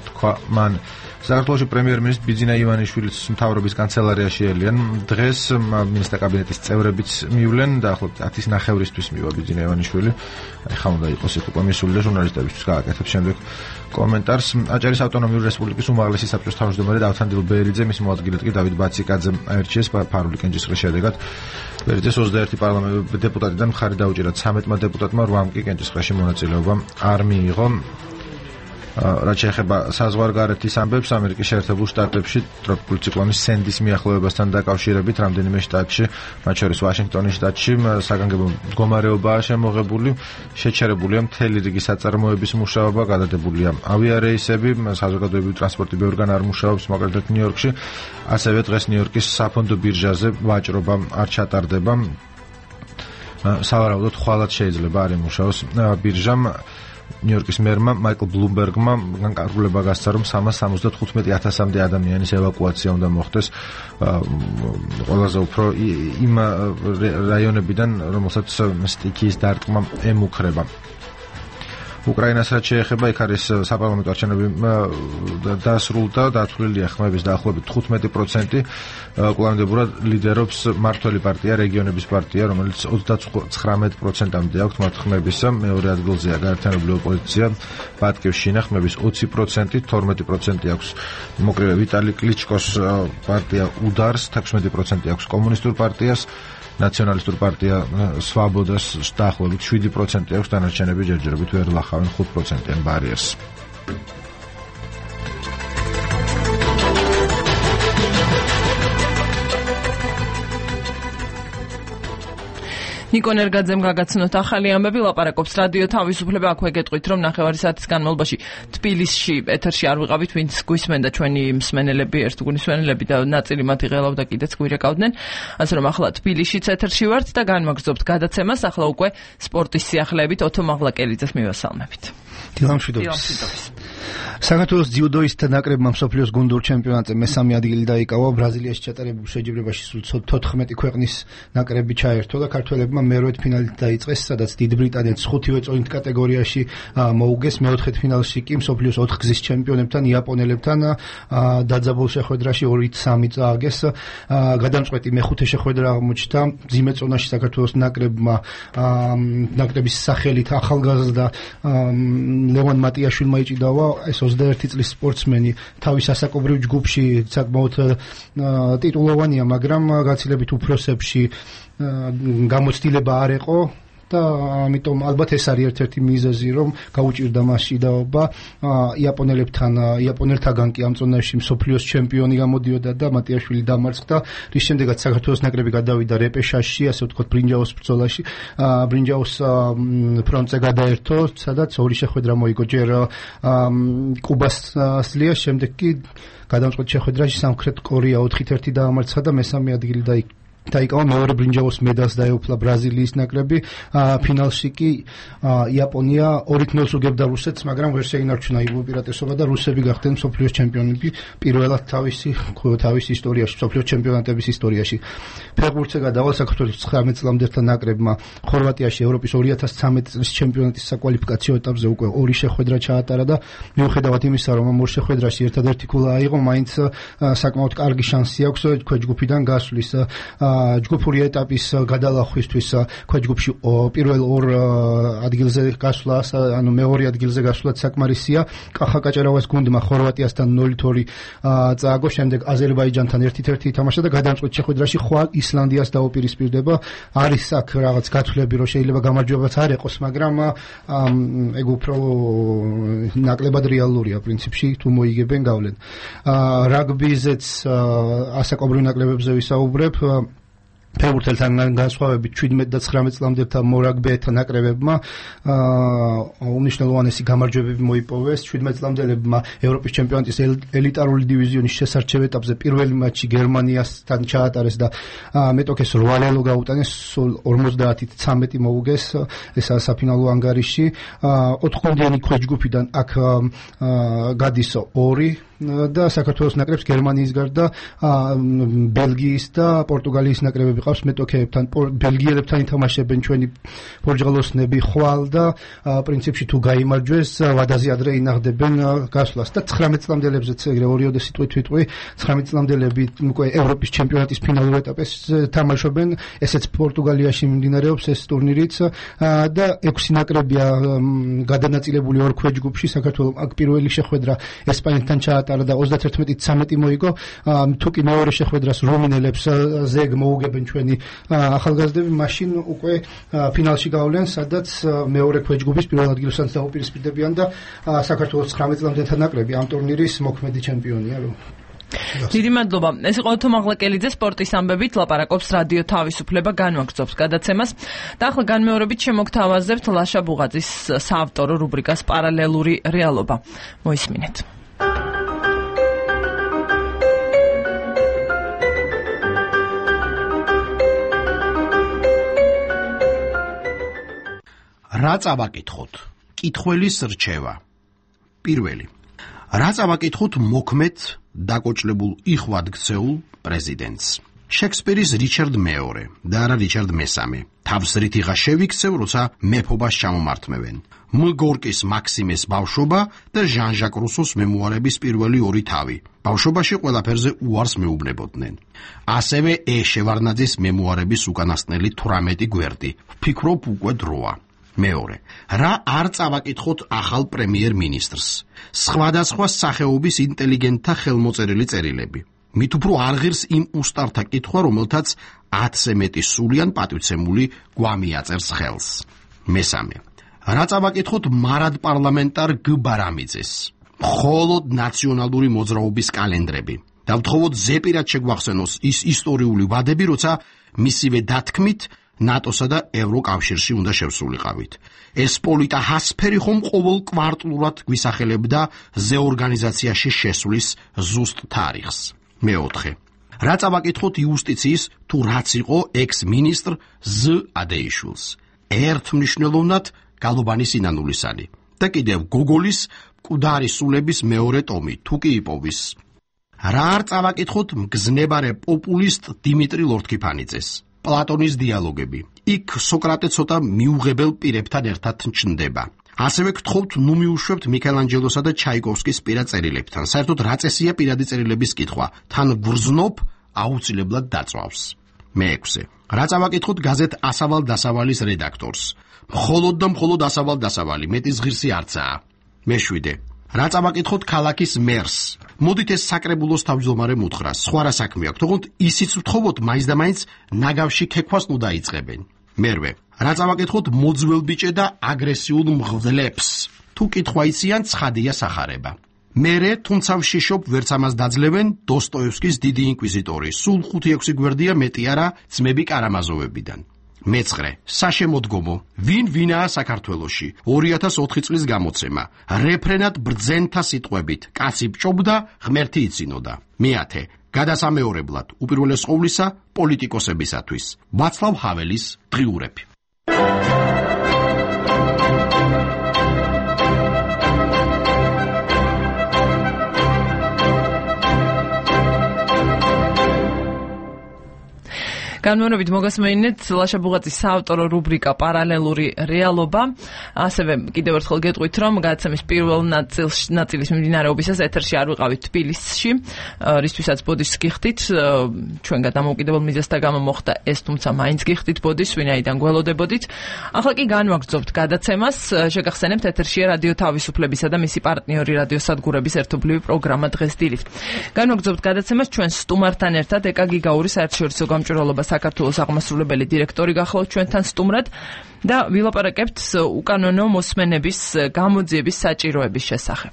Speaker 5: თქვა მან საქართველოში პრემიერ-მინისტრი ბიძინა ივანიშვილის მთავრობის კანცელარიაში ელიან. დღეს მინისტრთა კაბინეტის წევრებიც მივლენ, დაახლოებით ათის ნახევრისთვის მივა ბიძინა ივანიშვილი. აი ხა უნდა იყოს ეს უკვე მისული და ჟურნალისტებისთვის გააკეთებს შემდეგ კომენტარს. აჭარის ავტონომიური რესპუბლიკის უმაღლესი საბჭოს თავმჯდომარე დავთანდილ ბერიძე, მის მოადგილედ კი დავით ბაციკაძემ აირჩიეს ფარული კენჭისყრის შედეგად. ბერიძეს ოცდაერთი პარლამენტის დეპუტატიდან მხარი დაუჭირა ცამეტმა დეპუტატმა, რვამ კი კენჭისყრაში მონაწილეობა არ მიიღო. რაც შეეხება საზღვარგარეთის ამბებს, ამერიკის შეერთებულ შტატებში ტროპიკული ციკლონის სენდის მიახლოებასთან დაკავშირებით რამდენიმე შტატში, მათ შორის ვაშინგტონის შტატში, საგანგებო მდგომარეობაა შემოღებული, შეჩერებულია მთელი რიგი საწარმოების მუშაობა, გადადებულია ავიარეისები, საზოგადოებრივი ტრანსპორტი ბევრგან არ მუშაობს, მაგალითად ნიუ-იორკში, ასევე დღეს ნიუ-იორკის საფონდო ბირჟაზე ვაჭრობა არ ჩატარდება. სავარაუდოდ ხვალად შეიძლება არ იმუშაოს ბირჟამ. ნიუ-იორკის მერმა მაიკლ ბლუმბერგმა განკარგულება გასცა, რომ სამას სამოცდათხუთმეტი ათასამდე ადამიანის ევაკუაცია უნდა მოხდეს ყველაზე უფრო იმ რაიონებიდან, რომელსაც სტიქიის დარტყმა ემუქრება. უკრაინას რაც შეეხება, იქ არის საპარლამენტო არჩევნები დასრულდა, დათვლილია ხმების დაახლოებით თხუთმეტი პროცენტი. კვლავინდებურად ლიდერობს მართველი პარტია, რეგიონების პარტია, რომელიც ოცდაცხრამეტ პროცენტამდე აქვს მათ ხმებისა. მეორე ადგილზეა გაერთიანებული ოპოზიცია, ბატკივშინა ხმების ოცი პროცენტი, თორმეტი პროცენტი აქვს მოკრივე ვიტალი კლიჩკოს პარტია უდარს, თექვსმეტი პროცენტი აქვს კომუნისტურ პარტიას, ნაციონალისტურ პარტია სვაბოდას დაახლოებით შვიდი პროცენტი აქვს, დანარჩენები ჯერჯერობით ვერ ლახავენ ხუთ პროცენტიან ბარიერს.
Speaker 1: ნიკო ნერგაძემ გაგაცნოთ ახალი ამბები, ლაპარაკობს რადიო თავისუფლება. აქვე გეტყვით, რომ ნახევარი საათის განმავლობაში თბილისში ეთერში არ ვიყავით, ვინც გვისმენდა ჩვენი მსმენელები, ერთგულისმენელები და ნაწილი მათი ღელავდა კიდეც გვირეკავდნენ. ასე რომ ახლა თბილისშიც ეთერში ვართ და განმაგრძობთ გადაცემას. ახლა უკვე სპორტის სიახლეებით ოთო მაღლაკელიძეს მივესალმებით.
Speaker 5: დილამშვიდობის.
Speaker 12: საქართველოს ძიუდოისტთა ნაკრებმა მსოფლიოს გუნდურ ჩემპიონატზე მესამე ადგილი დაიკავა. ბრაზილიაში ჩატარებულ შეჯიბრებაში სულ თოთხმეტი ქვეყნის ნაკრები ჩაერთო და ქართველებმა მერვედ ფინალით დაიწყეს, სადაც დიდ ბრიტანეთს ხუთივე წონით კატეგორიაში მოუგეს. მეოთხედ ფინალში კი მსოფლიოს ოთხგზის ჩემპიონებთან იაპონელებთან დაძაბულ შეხვედრაში ორი სამი წააგეს. გადამწყვეტი მეხუთე შეხვედრა აღმოჩნდა. მძიმე წონაში საქართველოს ნაკრებმა ნაკრების სახელით ახალგაზრდა ლევან მატიაშვილმა იჭიდავა. ეს ოცდაერთი წლის სპორტსმენი თავის ასაკობრივ ჯგუფში საკმაოდ ტიტულოვანია, მაგრამ გაცილებით უფროსებში გამოცდილება არ იყო და ამიტომ ალბათ ეს არის ერთ-ერთი მიზეზი, რომ გაუჭირდა მასში დაობა. იაპონელებთან, იაპონელთაგან კი ამ წონაში მსოფლიოს ჩემპიონი გამოდიოდა და მატიაშვილი დამარცხდა, რის შემდეგაც საქართველოს ნაკრები გადავიდა რეპეშაჟში, ასე ვთქვათ, ბრინჯაოს ბრძოლაში. ბრინჯაოს ფრონტზე გადაერთო, სადაც ორი შეხვედრა მოიგო, ჯერ კუბას სლია, შემდეგ კი გადამწყვეტ შეხვედრაში სამხრეთ კორეა ოთხით ერთი დაამარცხა და მესამე ადგილი დაიკავა. დაიკავა მეორე ბრინჯაოს მედალს დაეუფლა ბრაზილიის ნაკრები. ფინალში კი იაპონია ორით ნულს უგებდა რუსეთს, მაგრამ ვერ შეინარჩუნა იმ უპირატესობა და რუსები გახდნენ მსოფლიოს ჩემპიონები პირველად თავისი თავის ისტორიაში, მსოფლიოს ჩემპიონატების ისტორიაში. ფეხბურთზე გადავალ საქართველოს ცხრამეტ წლამდელთა ნაკრებმა ხორვატიაში ევროპის ორი ათას ცხრამეტი წლის ჩემპიონატის საკვალიფიკაციო ეტაპზე უკვე ორი შეხვედრა ჩაატარა და მიუხედავად იმისა, რომ ამ ორ შეხვედრაში ერთადერთი ქულა აიღო, მაინც საკმაოდ კარგი შანსი აქვს ქვეჯგუფიდან გასვლის. ჯგუფური ეტაპის გადალახვისთვის ქვეჯგუფში პირველ ორ ადგილზე გასვლა, ანუ მეორე ადგილზე გასვლა საკმარისია. კახა კაჭარავას გუნდმა ხორვატიასთან ნულით ორი წააგო, შემდეგ აზერბაიჯანთან ერთით ერთი ითამაშა და გადამწყვეტ შეხვედრაში ხვალ ისლანდიას დაუპირისპირდება. არის აქ რაღაც გათვლები, რომ შეიძლება გამარჯვებაც არ ეყოს, მაგრამ ეგ უფრო ნაკლებად რეალურია პრინციპში, თუ მოიგებენ გავლენ. რაგბიზეც ასაკობრივ ნაკლებებზე ვისაუბრებ. ფეხბურთელთან განსხვავებით შვიდმეტ და ცხრამეტ წლამდელთა მორაგბეთა ნაკრებებმა უმნიშვნელოვანესი გამარჯვებები მოიპოვეს. შვიდმეტ წლამდელებმა ევროპის ჩემპიონატის ელიტარული დივიზიონის შესარჩევ ეტაპზე პირველი მატჩი გერმანიასთან ჩაატარეს და მეტოქეს რვა ლელო გაუტანეს, სულ ორმოცდაათით ცამეტი მოუგეს, ესაა საფინალო ანგარიში. ოთხგუნდიანი ქვეჯგუფიდან აქ გადის ორი და საქართველოს ნაკრებს გერმანიის გარდა ბელგიის და პორტუგალიის ნაკრებები ყავს. მეტოქეებთან ბელგიელებთან ითამაშებენ ჩვენი პორტუგალოსნები ხვალ და პრინციპში თუ გაიმარჯვეს ვადაზე ადრე ინახდებენ გასვლას და ცხრამეტ წლამდელებზეც ეგრე ორიოდე სიტყვით ვიტყვი. ცხრამეტ წლამდელები უკვე ევროპის ჩემპიონატის ფინალურ ეტაპს თამაშობენ, ესეც პორტუგალიაში მიმდინარეობს ეს ტურნირიც და ექვსი ნაკრებია გადანაწილებული ორ ქვეჯგუფში. საქართველოს აქ პირველი შეხვედრა ესპანეთთან ჩაატარა და ოცდათერთმეტით ცამეტი მოიგო. თუ კი მეორე შეხვედრას რუმინელებს ზეგ მოუგებენ ჩვენი ახალგაზრდები, მაშინ უკვე ფინალში გავლენ, სადაც მეორე ქვეჯგუფის პირველ ადგილსაც დაუპირისპირდებიან და საქართველოს ცხრამეტ წლამდელთა ნაკრები ამ ტურნირის მოქმედი ჩემპიონია.
Speaker 1: დიდი მადლობა. ეს იყო ოთო მაღლაკელიძე სპორტის ამბებით ლაპარაკობს რადიო თავისუფლება, განვაგრძობს გადაცემას და ახლა განმეორებით შემოგთავაზებთ ლაშა ბუღაძის საავტორო რუბრიკას პარალელური რეალობა. მოისმინეთ.
Speaker 13: რა წავაკითხოთ? კითხველის რჩევა. პირველი. რა წავაკითხოთ მოქმედ დაკოჭლებულ იხვად ქცეულ პრეზიდენტს? შექსპირის რიჩარდ მეორე და არა რიჩარდ მესამე. თავს რითიღა შევიქცევ, როცა მეფობას ჩამომართმევენ. მ. გორკის მაქსიმეს ბავშვობა და ჟან-ჟაკ რუსოს მემუარების პირველი ორი თავი. ბავშვობაში ყველაფერზე უარს მეუბნებოდნენ. ასევე ე. შევარნაძის მემუარების უკანასკნელი თვრამეტი გვერდი. ვფიქრობ უკვე დროა. მეორე. რა არ წავაკითხოთ ახალ პრემიერ-მინისტრს? სხვადასხვა სახეობის ინტელიგენტთა ხელმოწერილი წერილები. მით უფრო არ ღირს იმ უსტართა კითხვა, რომელთაც ათზე მეტი სულიან პატივცემული გვამიაწერს ხელს. მესამე. რა წავაკითხოთ მარად პარლამენტარ გ. ბარამიძეს? მხოლოდ ნაციონალური მოძრაობის კალენდრები. და ვთხოვოთ ზეპირად შეგვახსენოს ის ისტორიული ვადები, როცა მისივე დათქმით ნატოსა და ევროკავშირში უნდა შევსულიყავით. ეს პოლიტა ჰასფერი ხომ ყოველ კვარტლურად გვისახელებდა ზეორგანიზაციაში შესვლის ზუსტ თარიღს. მეოთხე. რა წავაკითხოთ იუსტიციის თუ რაც იყო ექს-მინისტრ ზ. ადეიშვილს? ერთ მნიშვნელოვნად გალობანი სინანულისანი და კიდევ გოგოლის მკვდარი სულების მეორე ტომი, თუ კი იპოვის. რა არ წავაკითხოთ მგზნებარე პოპულისტ დიმიტრი ლორთქიფანიძეს. პლატონის დიალოგები. იქ სოკრატე ცოტა მიუღებელ პირებთან ერთად ჩნდება. ასევე გთხოვთ ნუ მიუშვებთ მიქელანჯელოსა და ჩაიკოვსკის პირად წერილებთან. საერთოდ რა წესია პირადი წერილების კითხვა? თან გვრძნობ აუცილებლად დაწვავს. მეექვსე. რა წავაკითხოთ გაზეთ ასავალ დასავალის რედაქტორს. მხოლოდ და მხოლოდ ასავალ დასავალი, მეტის ღირსი არცაა. მეშვიდე. რა წავაკითხოთ ქალაქის მერს. მოდით ეს საკრებულოს თავმჯდომარე მუთხრა, სხვა რა საქმე აქვს, თქო ისიც ვთხოვოთ მაინც და მაინც ნაგავში ქექვას ნუ დაიწყებენ. მერვე. რა წავაკითხოთ მოძველბიჭე და აგრესიულ მღვდლებს. თუ კითხვა იციან, ცხადია სახარება. მერე, თუმცა ვშიშობ, ვერც ამას დაძლევენ დოსტოევსკის დიდი ინკვიზიტორი. სულ ხუთი ექვსი გვერდია მეტი არა ძმები კარამაზოვებიდან. მეცხრე. საშემოდგომო. ვინ ვინაა საქართველოში? ორი ათას ოთხი წლის გამოცემა. რეფრენად ბრძენთა სიტყვებით. კაცი ბჭობდა, ღმერთი იცინოდა. მეათე. გადასამეორებლად, უპირველეს ყოვლისა, პოლიტიკოსებისათვის. ვაცლავ ჰაველის დღიურები.
Speaker 1: განმეორებით მოგესმენინეთ ლაშა ბუღაძის საავტორო რუბრიკა პარალელური რეალობა. ასევე კიდევ ერთხელ გეტყვით, რომ გადაცემის პირველ ნაწილის მიმდინარეობისას ეთერში არ ვიყავით თბილისში, რისთვისაც ბოდიშს გიხდით. ჩვენგან დამოუკიდებელ მიზეზთა გამო მოხდა ეს, თუმცა მაინც გიხდით ბოდიშს, ვინაიდან გველოდებოდით. ახლა კი განვაგრძობთ გადაცემას. შეგახსენებთ, ეთერშია რადიო თავისუფლებისა და მისი პარტნიორი რადიო სადგურების ერთობლივი პროგრამა დღეს დილით. განვაგრძობთ გადაცემას ჩვენ სტუმართან ერთად ეკა გიგაური საერთაშორისო გამჭვირვალობა საქართველოს აღმასრულებელი დირექტორი გახლავთ ჩვენთან სტუმრად და ვილაპარაკებთ უკანონო მოსმენების გამოძიების საჭიროების შესახებ.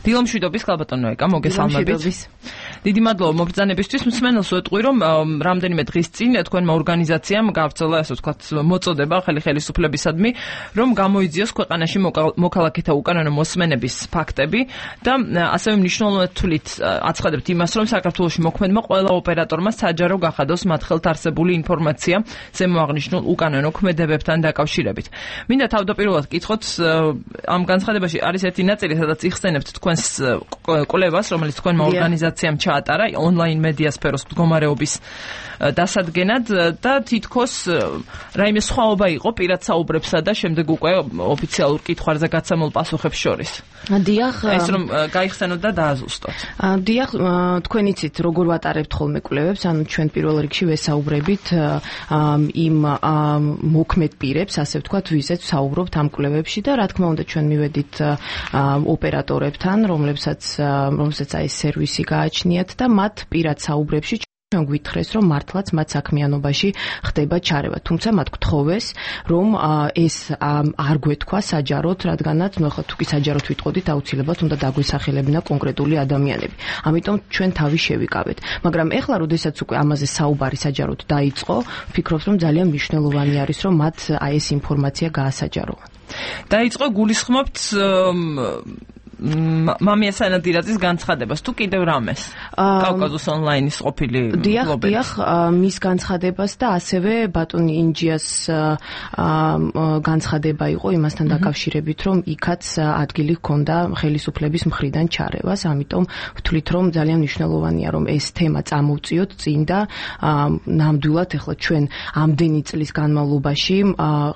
Speaker 1: დილომშვიდობის ხალბატონო ეკა, მოგესალმებით. დიდი მადლობა მობრძანებისთვის. მსმენელს ვეტყვი, რომ რამდენიმე დღის წინ თქვენმა ორგანიზაციამ გავრცელა, ასე ვთქვათ, მოწოდება ხელი ხელისუფლებისადმი, რომ გამოიძიოს ქვეყანაში მოქალაქეთა უკანონო მოსმენების ფაქტები და ასევე მნიშვნელოვნად თვლით აცხადებთ იმას, რომ საქართველოში მოქმედმა ყველა ოპერატორმა საჯარო გახადოს მათ ხელთ არსებული ინფორმაცია ზემოაღნიშნულ უკანონო ქმედებებთან დაკავშირებით. მინდა თავდაპირველად გკითხოთ, ამ განცხადებაში არის ერთი ნაწილი, სადაც იხსენებთ თქვენს კვლევას, რომელიც თქვენმა ორგანიზაციამ ატარა ონლაინ მედია სფეროს მდგომარეობის დასადგენად და თითქოს რაიმე სხვაობა იყო პირად საუბრებსა და შემდეგ უკვე ოფიციალურ კითხვებზე გაცემულ პასუხებს შორის.
Speaker 14: დიახ,
Speaker 1: ეს რომ გაიხსენოთ და დააზუსტოთ.
Speaker 14: დიახ, თქვენ იცით როგორ ვატარებთ ხოლმე კვლევებს, ანუ ჩვენ პირველ რიგში ვესაუბრებით იმ მოქმედ პირებს, ასე ვთქვათ, ვიზეთ საუბრობთ ამ კვლევებში და რა თქმა უნდა ჩვენ მივედით ოპერატორებთან, რომლებსაც რომელსაც აი სერვისი გააჩნიათ და მათ პირად საუბრებში ჩვენ გვითხრეს, რომ მართლაც მათ საქმიანობაში ხდება ჩარევა. თუმცა მათ გთხოვეს, რომ ეს არ გვეთქვა საჯაროდ, რადგანაც ნუ ახლა თუ კი საჯაროდ ვიტყოდით, აუცილებლად უნდა დაგვესახელებინა კონკრეტული ადამიანები. ამიტომ ჩვენ თავი შევიკავეთ. მაგრამ ეხლა, როდესაც უკვე ამაზე საუბარი საჯაროდ დაიწყო, ვფიქრობ, რომ ძალიან მნიშვნელოვანი არის, რომ მათ აი ეს ინფორმაცია გაასაჯაროვა.
Speaker 1: დაიწყო გულისხმობთ მამია სანადირაძის განცხადებას თუ კიდევ რამეს კავკაზოს ონლაინის ყოფილი
Speaker 14: მფლობელი. დიახ, მის განცხადებას და ასევე ბატონი ინჯიას განცხადება იყო იმასთან დაკავშირებით, რომ იქაც ადგილი ჰქონდა ხელისუფლების მხრიდან ჩარევას, ამიტომ ვთვლით, რომ ძალიან მნიშვნელოვანია, რომ ეს თემა წამოვწიოთ წინ და ნამდვილად ახლა ჩვენ ამდენი წლის განმავლობაში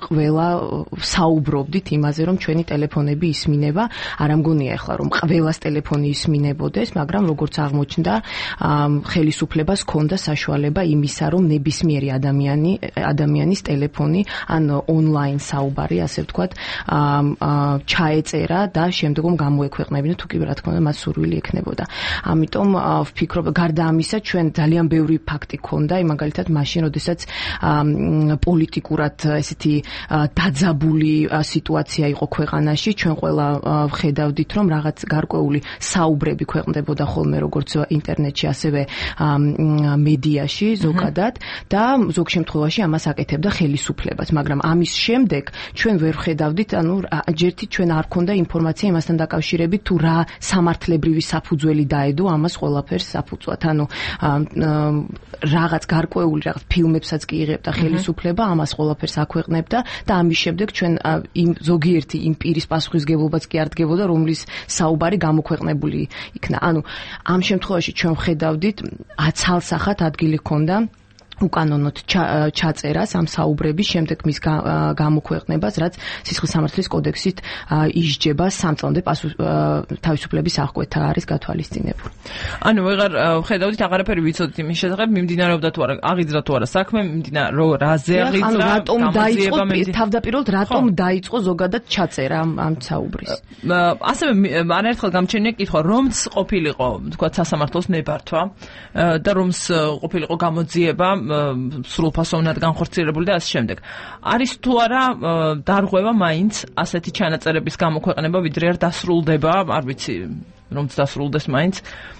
Speaker 14: ყველა საუბრობდით იმაზე, რომ ჩვენი ტელეფონები ისმინება, არ ამგონია ახლა რომ ყველას ტელეფონი ისმინებოდეს, მაგრამ როგორც აღმოჩნდა, ხელისუფლებას ჰქონდა საშუალება იმისა, რომ ნებისმიერი ადამიანი ადამიანის ტელეფონი ან ონლაინ საუბარი, ასე ვთქვათ, ჩაეწერა და შემდგომ გამოექვეყნებინა, თუ კი რა თქმა უნდა მას სურვილი ექნებოდა. ამიტომ ვფიქრობ, გარდა ამისა, ჩვენ ძალიან ბევრი ფაქტი ჰქონდა, მაგალითად მაშინ, როდესაც პოლიტიკურად ესეთი დაძაბული სიტუაცია იყო ქვეყანაში, ჩვენ ყველა ვხედავდით, რომ რომ რაღაც გარკვეული საუბრები ქვეყნდებოდა ხოლმე როგორც ინტერნეტში, ასევე მედიაში ზოგადად და ზოგ შემთხვევაში ამას აკეთებდა ხელისუფლებას, მაგრამ ამის შემდეგ ჩვენ ვერ ხედავდით, ანუ ჯერთი ჩვენ არ ქონდა ინფორმაცია იმასთან დაკავშირებით თუ რა სამართლებრივი საფუძველი დაედო ამას ყველაფერს საფუძვლად, ანუ რაღაც გარკვეული რაღაც ფილმებსაც კი იღებდა ხელისუფლება, ამას ყველაფერს აქვეყნებდა და ამის შემდეგ ჩვენ იმ ზოგიერთი იმ პირის პასუხისგებლობაც კი არ დგებოდა, რომლის საუბარი გამოქვეყნებული იქნა. ანუ ამ შემთხვევაში ჩვენ ვხედავდით აცალსახად ადგილი ჰქონდა უკანონოდ ჩაწერას ამ საუბრების, შემდეგ მის გამოქვეყნებას, რაც სისხლის სამართლის კოდექსით ისჯება სამწლამდე თავისუფლების აღკვეთა არის გათვალისწინებული.
Speaker 1: ანუ ვეღარ ხედავდით, აღარაფერი ვიცოდით იმის შესახებ, მიმდინარეობდა თუ არა, აღიძრა თუ არა საქმე, მიმდინარეობდა რაზე აღიძრა,
Speaker 14: ანუ რატომ დაიწყო თავდაპირველად რატომ დაიწყო ზოგადად ჩაწერა ამ საუბრის.
Speaker 1: ასევე არაერთხელ გამჩენია კითხვა, რომც ყოფილიყო, თქვა სასამართლოს ნებართვა და რომც ყოფილიყო გამოძიება სრულფასოვნად განხორციელებული და ასე შემდეგ. არის თუ არა დარღვევა მაინც ასეთი ჩანაწერების გამოქვეყნება, ვიდრე არ დასრულდება, არ ვიცი, რომც დასრულდეს მაინც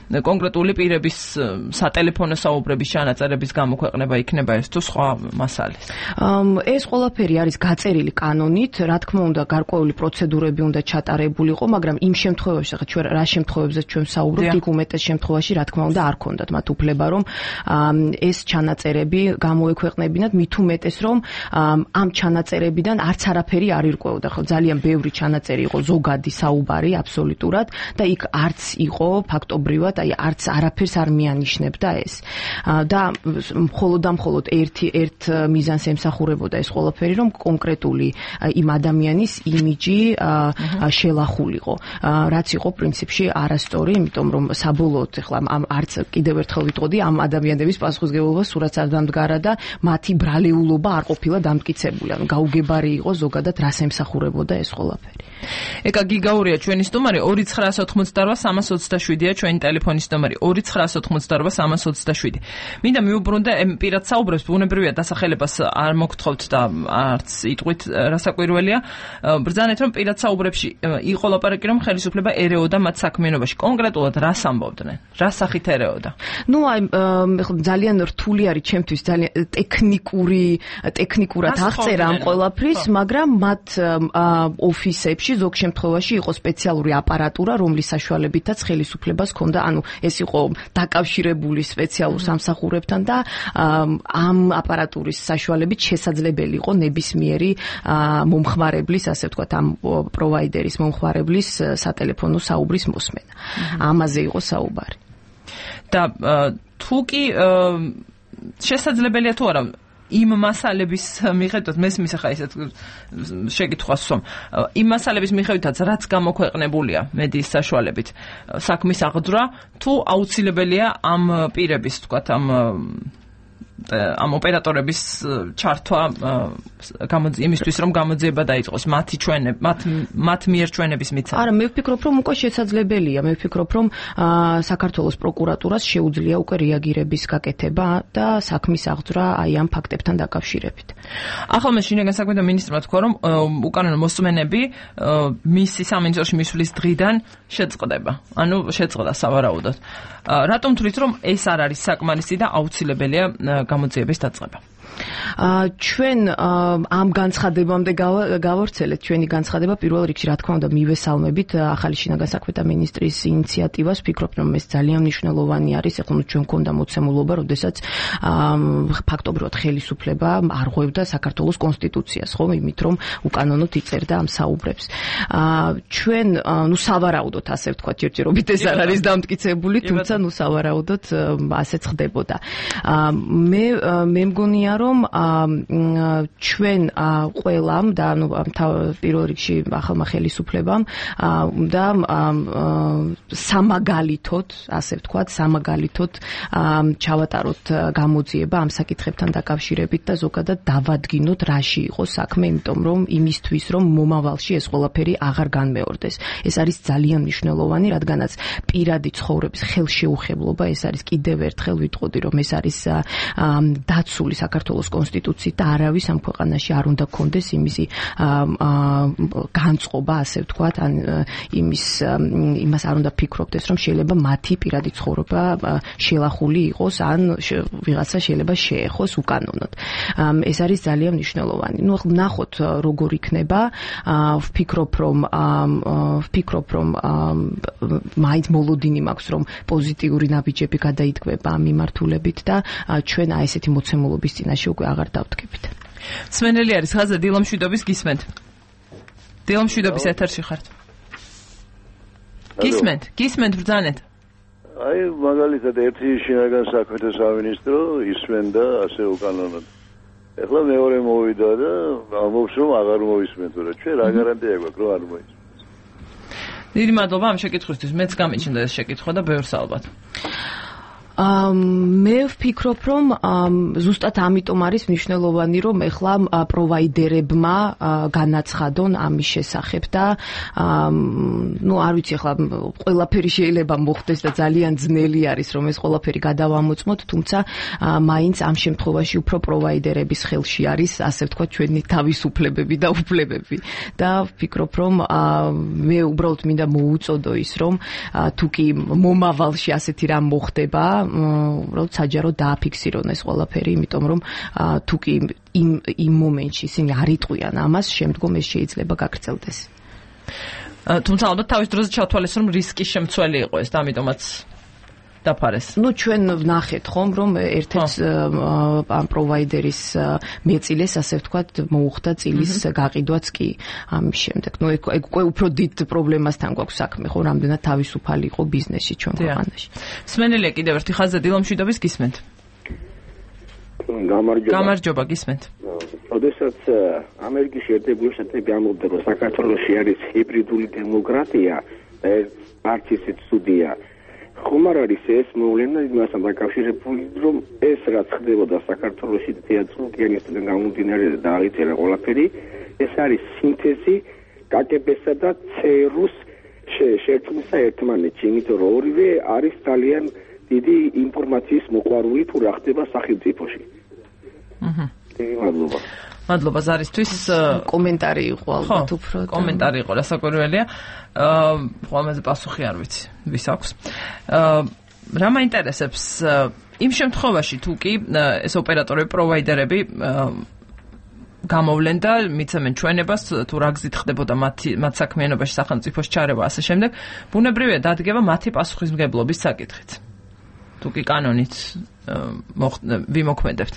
Speaker 1: კონკრეტული პირების სატელეფონო საუბრების ჩანაწერების გამოქვეყნება იქნება ეს თუ სხვა მასალის.
Speaker 14: ეს ყველაფერი არის გაწერილი კანონით, რა თქმა უნდა, გარკვეული პროცედურები უნდა ჩატარებულიყო, მაგრამ იმ შემთხვევაში, ხა ჩვენ რა შემთხვევებზეც ჩვენ საუბრობთ, იქ უმეტეს შემთხვევაში, რა თქმა უნდა, არ ქონდათ მათ უფლება, რომ ეს ჩანაწერები გამოექვეყნებინათ, მით უმეტეს, რომ ამ ჩანაწერებიდან არც არაფერი არ ირკვეოდა, ხო, ძალიან ბევრი ჩანაწერი იყო, ზოგადი საუბარი აბსოლუტურად და იქ არც იყო ფაქტობრივად აი არც არაფერს არ მიანიშნებდა ეს. და მხოლოდ და მხოლოდ ერთი ერთ მიზანს ემსახურებოდა ეს ყველაფერი, რომ კონკრეტული იმ ადამიანის იმიჯი შელახულიყო, რაც იყო პრინციპში არასწორი, იმიტომ რომ საბოლოოდ ახლა ამ არც კიდევ ერთხელ ვიტყოდი, ამ ადამიანების პასუხისგებლობა სურათს არ დამდგარა და მათი ბრალეულობა არ ყოფილა დამტკიცებული. ანუ გაუგებარი იყო ზოგადად რას ემსახურებოდა ეს ყველაფერი.
Speaker 1: ეკა გიგაურია ჩვენი სტუმარი ორი ცხრაასი ოცდაოთხმოცდარვა სამას ოცდაშვიდია ჩვენი ტელეფონის ნომერი ორი ცხრაასი ოცდაოთხმოცდარვა სამას ოცდაშვიდი. მინდა მიუბრუნდე პირად საუბრებს, ბუნებრივია დასახელებას არ მოგთხოვთ და არც იტყვით რასაკვირველია. ბრძანეთ რომ პირად საუბრებში იყო ლაპარაკი რომ ხელისუფლება ერეოდა მათ საქმიანობაში. კონკრეტულად რას ამბობდნენ? რა სახით ერეოდა?
Speaker 14: ნუ აი ძალიან რთული არის ჩემთვის, ძალიან ტექნიკური ტექნიკურად აღწერა ამ ყველაფრის, მაგრამ მათ ოფისებში ზოგ შემთხვევაში იყო სპეციალური აპარატურა, რომლის საშუალებითაც ხელისუფლებას ჰქონდა, ანუ ეს იყო დაკავშირებული სპეციალურ სამსახურებთან და ამ აპარატურის საშუალებით შესაძლებელი იყო ნებისმიერი მომხმარებლის, ასე ვთქვათ, ამ პროვაიდერის მომხმარებლის სატელეფონო საუბრის მოსმენა. ამაზე იყო საუბარი.
Speaker 1: და თუ კი შესაძლებელია თუ არა იმ მასალების მიხედვით, მესმის ახლა ისეთ შეკითხვას ვსვამ, იმ მასალების მიხედვითაც რაც გამოქვეყნებულია მედიის საშუალებით საქმის აღძვრა, თუ აუცილებელია ამ პირების, ვთქვათ, ამ ამ ოპერატორების ჩართვა იმისთვის რომ გამოძიება დაიწყოს მათი ჩვენებ მათ მათ მიერ ჩვენების მიცემა.
Speaker 14: არა, მე ვფიქრობ რომ უკვე შესაძლებელია. მე ვფიქრობ რომ საქართველოს პროკურატურას შეუძლია უკვე რეაგირების გაკეთება და საქმის აღძვრა აი ამ ფაქტებთან დაკავშირებით.
Speaker 1: ახალ შინაგან საქმეთა მინისტრმა თქვა რომ უკანონო მოსმენები მისი სამინისტროში მისვლის დღიდან შეწყდება. ანუ შეწყდა სავარაუდოდ. რატომ თვლით რომ ეს არ არის საკმარისი და აუცილებელია გამოძიების დაწყება?
Speaker 14: ჩვენ ამ განცხადებამდე გავავრცელეთ ჩვენი განცხადება პირველ რიგში, რა თქმა უნდა, მივესალმებით ახალი შინაგან საქმეთა მინისტრის ინიციატივას, ვფიქრობ რომ ეს ძალიან მნიშვნელოვანი არის, ეხლა ჩვენ მქონდა მოცემულობა, როდესაც ფაქტობრივად ხელისუფლება არღვევდა საქართველოს კონსტიტუციას, ხო, იმით რომ უკანონოდ იწერდა ამ საუბრებს. ჩვენ, ნუ სავარაუდოდ, ასე ვთქვათ, ჯერჯერობით ეს არ არის დამტკიცებული, თუმცა ნუ სავარაუდოდ ასეც ხდებოდა. მე მე მგონია რომ ჩვენ ყველამ და ანუ პირველ რიგში ახალმა ხელისუფლებამ და სამაგალითოდ, ასე ვთქვათ, სამაგალითოდ ჩავატაროთ გამოძიება ამ საკითხებთან დაკავშირებით და ზოგადად დავადგინოთ რაში იყო საქმე, იმიტომ რომ იმისთვის რომ მომავალში ეს ყველაფერი აღარ განმეორდეს. ეს არის ძალიან მნიშვნელოვანი, რადგანაც პირადი ცხოვრების ხელშეუხებლობა, ეს არის კიდევ ერთხელ ვიტყოდი, რომ ეს არის დაცული საქართველოს საქართველოს კონსტიტუციით და არავის ამ ქვეყანაში არ უნდა გქონდეს იმისი განწყობა, ასე ვთქვათ, ან იმის იმას არ უნდა ფიქრობდეს, რომ შეიძლება მათი პირადი ცხოვრება შელახული იყოს, ან ვიღაცა შეიძლება შეეხოს უკანონოდ. ეს არის ძალიან მნიშვნელოვანი. ნუ ნახოთ როგორ იქნება. ვფიქრობ, რომ ვფიქრობ, რომ მაინც მოლოდინი მაქვს, რომ პოზიტიური ნაბიჯები გადაიდგება ამ მიმართულებით და ჩვენ აი ესეთი მოცემულობის წინაშე უკვე აღარ დავდგებით.
Speaker 1: სმენელი არის ხაზზე დილამშვიდობის გისმენთ. დილამშვიდობის ეთერში ხართ. გისმენთ, გისმენთ ბრძანეთ.
Speaker 15: აი მაგალითად ერთი შინაგან საქმეთა სამინისტრო ისმენდა ასე უკანონოდ. ეხლა მეორე მოვიდა და ამბობს რომ აღარ მოისმენთ, რა ჩვენ რა გარანტია გვაქვს რომ არ მოისმენთ.
Speaker 1: დიდი მადლობა ამ შეკითხვისთვის. მეც გამიჩნდა ეს შეკითხვა და ბევრს ალბათ.
Speaker 14: მე ვფიქრობ, რომ ზუსტად ამიტომ არის მნიშვნელოვანი, რომ ეხლა პროვაიდერებმა განაცხადონ ამის შესახებ და ნუ არ ვიცი, ეხლა ყველაფერი შეიძლება მოხდეს და ძალიან ძნელი არის, რომ ეს ყველაფერი გადავამოწმოთ, თუმცა მაინც ამ შემთხვევაში უფრო პროვაიდერების ხელში არის, ასე ვთქვათ, ჩვენი თავისუფლებები და უფლებები და ვფიქრობ, რომ მე უბრალოდ მინდა მოუწოდო ის, რომ თუ კი მომავალში ასეთი რამ მოხდება, უბრალოდ საჯარო დააფიქსირონ ეს ყველაფერი, იმიტომ რომ თუ კი იმ იმ მომენტში ისინი არ იტყვიან ამას, შემდგომ ეს შეიძლება გაგრძელდეს.
Speaker 1: თუმცა ალბათ თავის დროზე ჩავთვალეს, რომ რისკის შემცველი იყო ეს და ამიტომაც დაფარეს.
Speaker 14: ნუ ჩვენ ვნახეთ ხომ, რომ ერთ-ერთ ამ პროვაიდერის მეწილეს, ასე ვთქვათ, მოუხდა წილის გაყიდვაც კი ამის შემდეგ. ნუ ეგ უკვე უფრო დიდ პრობლემასთან გვაქვს საქმე, ხო, რამდენად თავისუფალი იყო ბიზნესი ჩვენ ქვეყანაში.
Speaker 1: სმენელია კიდევ ერთი ხაზზე დილამშვიდობის გისმენთ.
Speaker 16: გამარჯობა.
Speaker 1: გამარჯობა, გისმენთ.
Speaker 16: როდესაც ამერიკის შეერთებული შტატები ამბობდა, რომ საქართველოში არის ჰიბრიდული დემოკრატია და არც ისეთ ცუდია, ხომ არ არის ეს მოვლენა იმასთან დაკავშირებული, რომ ეს რაც ხდებოდა საქართველოში თეატრალიანისგან გამომდინარე და დააღწია ყველაფერი, ეს არის სინთეზი კაგებესა და ცერუს შეერთումისა ერთმანეთში, იმიტომ რომ ორივე არის ძალიან დიდი ინფორმაციის მოყვარული თუ რა ხდება სახელმწიფოში.
Speaker 1: აჰა.
Speaker 16: მადლობა.
Speaker 1: მადლობა ზარისთვის.
Speaker 14: კომენტარი იყო ალბათ უფრო.
Speaker 1: კომენტარი იყო, რასაკვირველია. აა, ამაზე პასუხი არ ვიცი, ვის აქვს. აა, რა მაინტერესებს იმ შემთხვევაში თუ კი ეს ოპერატორები, პროვაიდერები გამოვლენ და მიცემენ ჩვენებას, თუ რა გზით ხდებოდა მათი მათ საქმიანობაში სახელმწიფოს ჩარევა, ასე შემდეგ, ბუნებრივია დადგება მათი პასუხისმგებლობის საკითხიც. თუ კი კანონით ვიმოქმედებთ.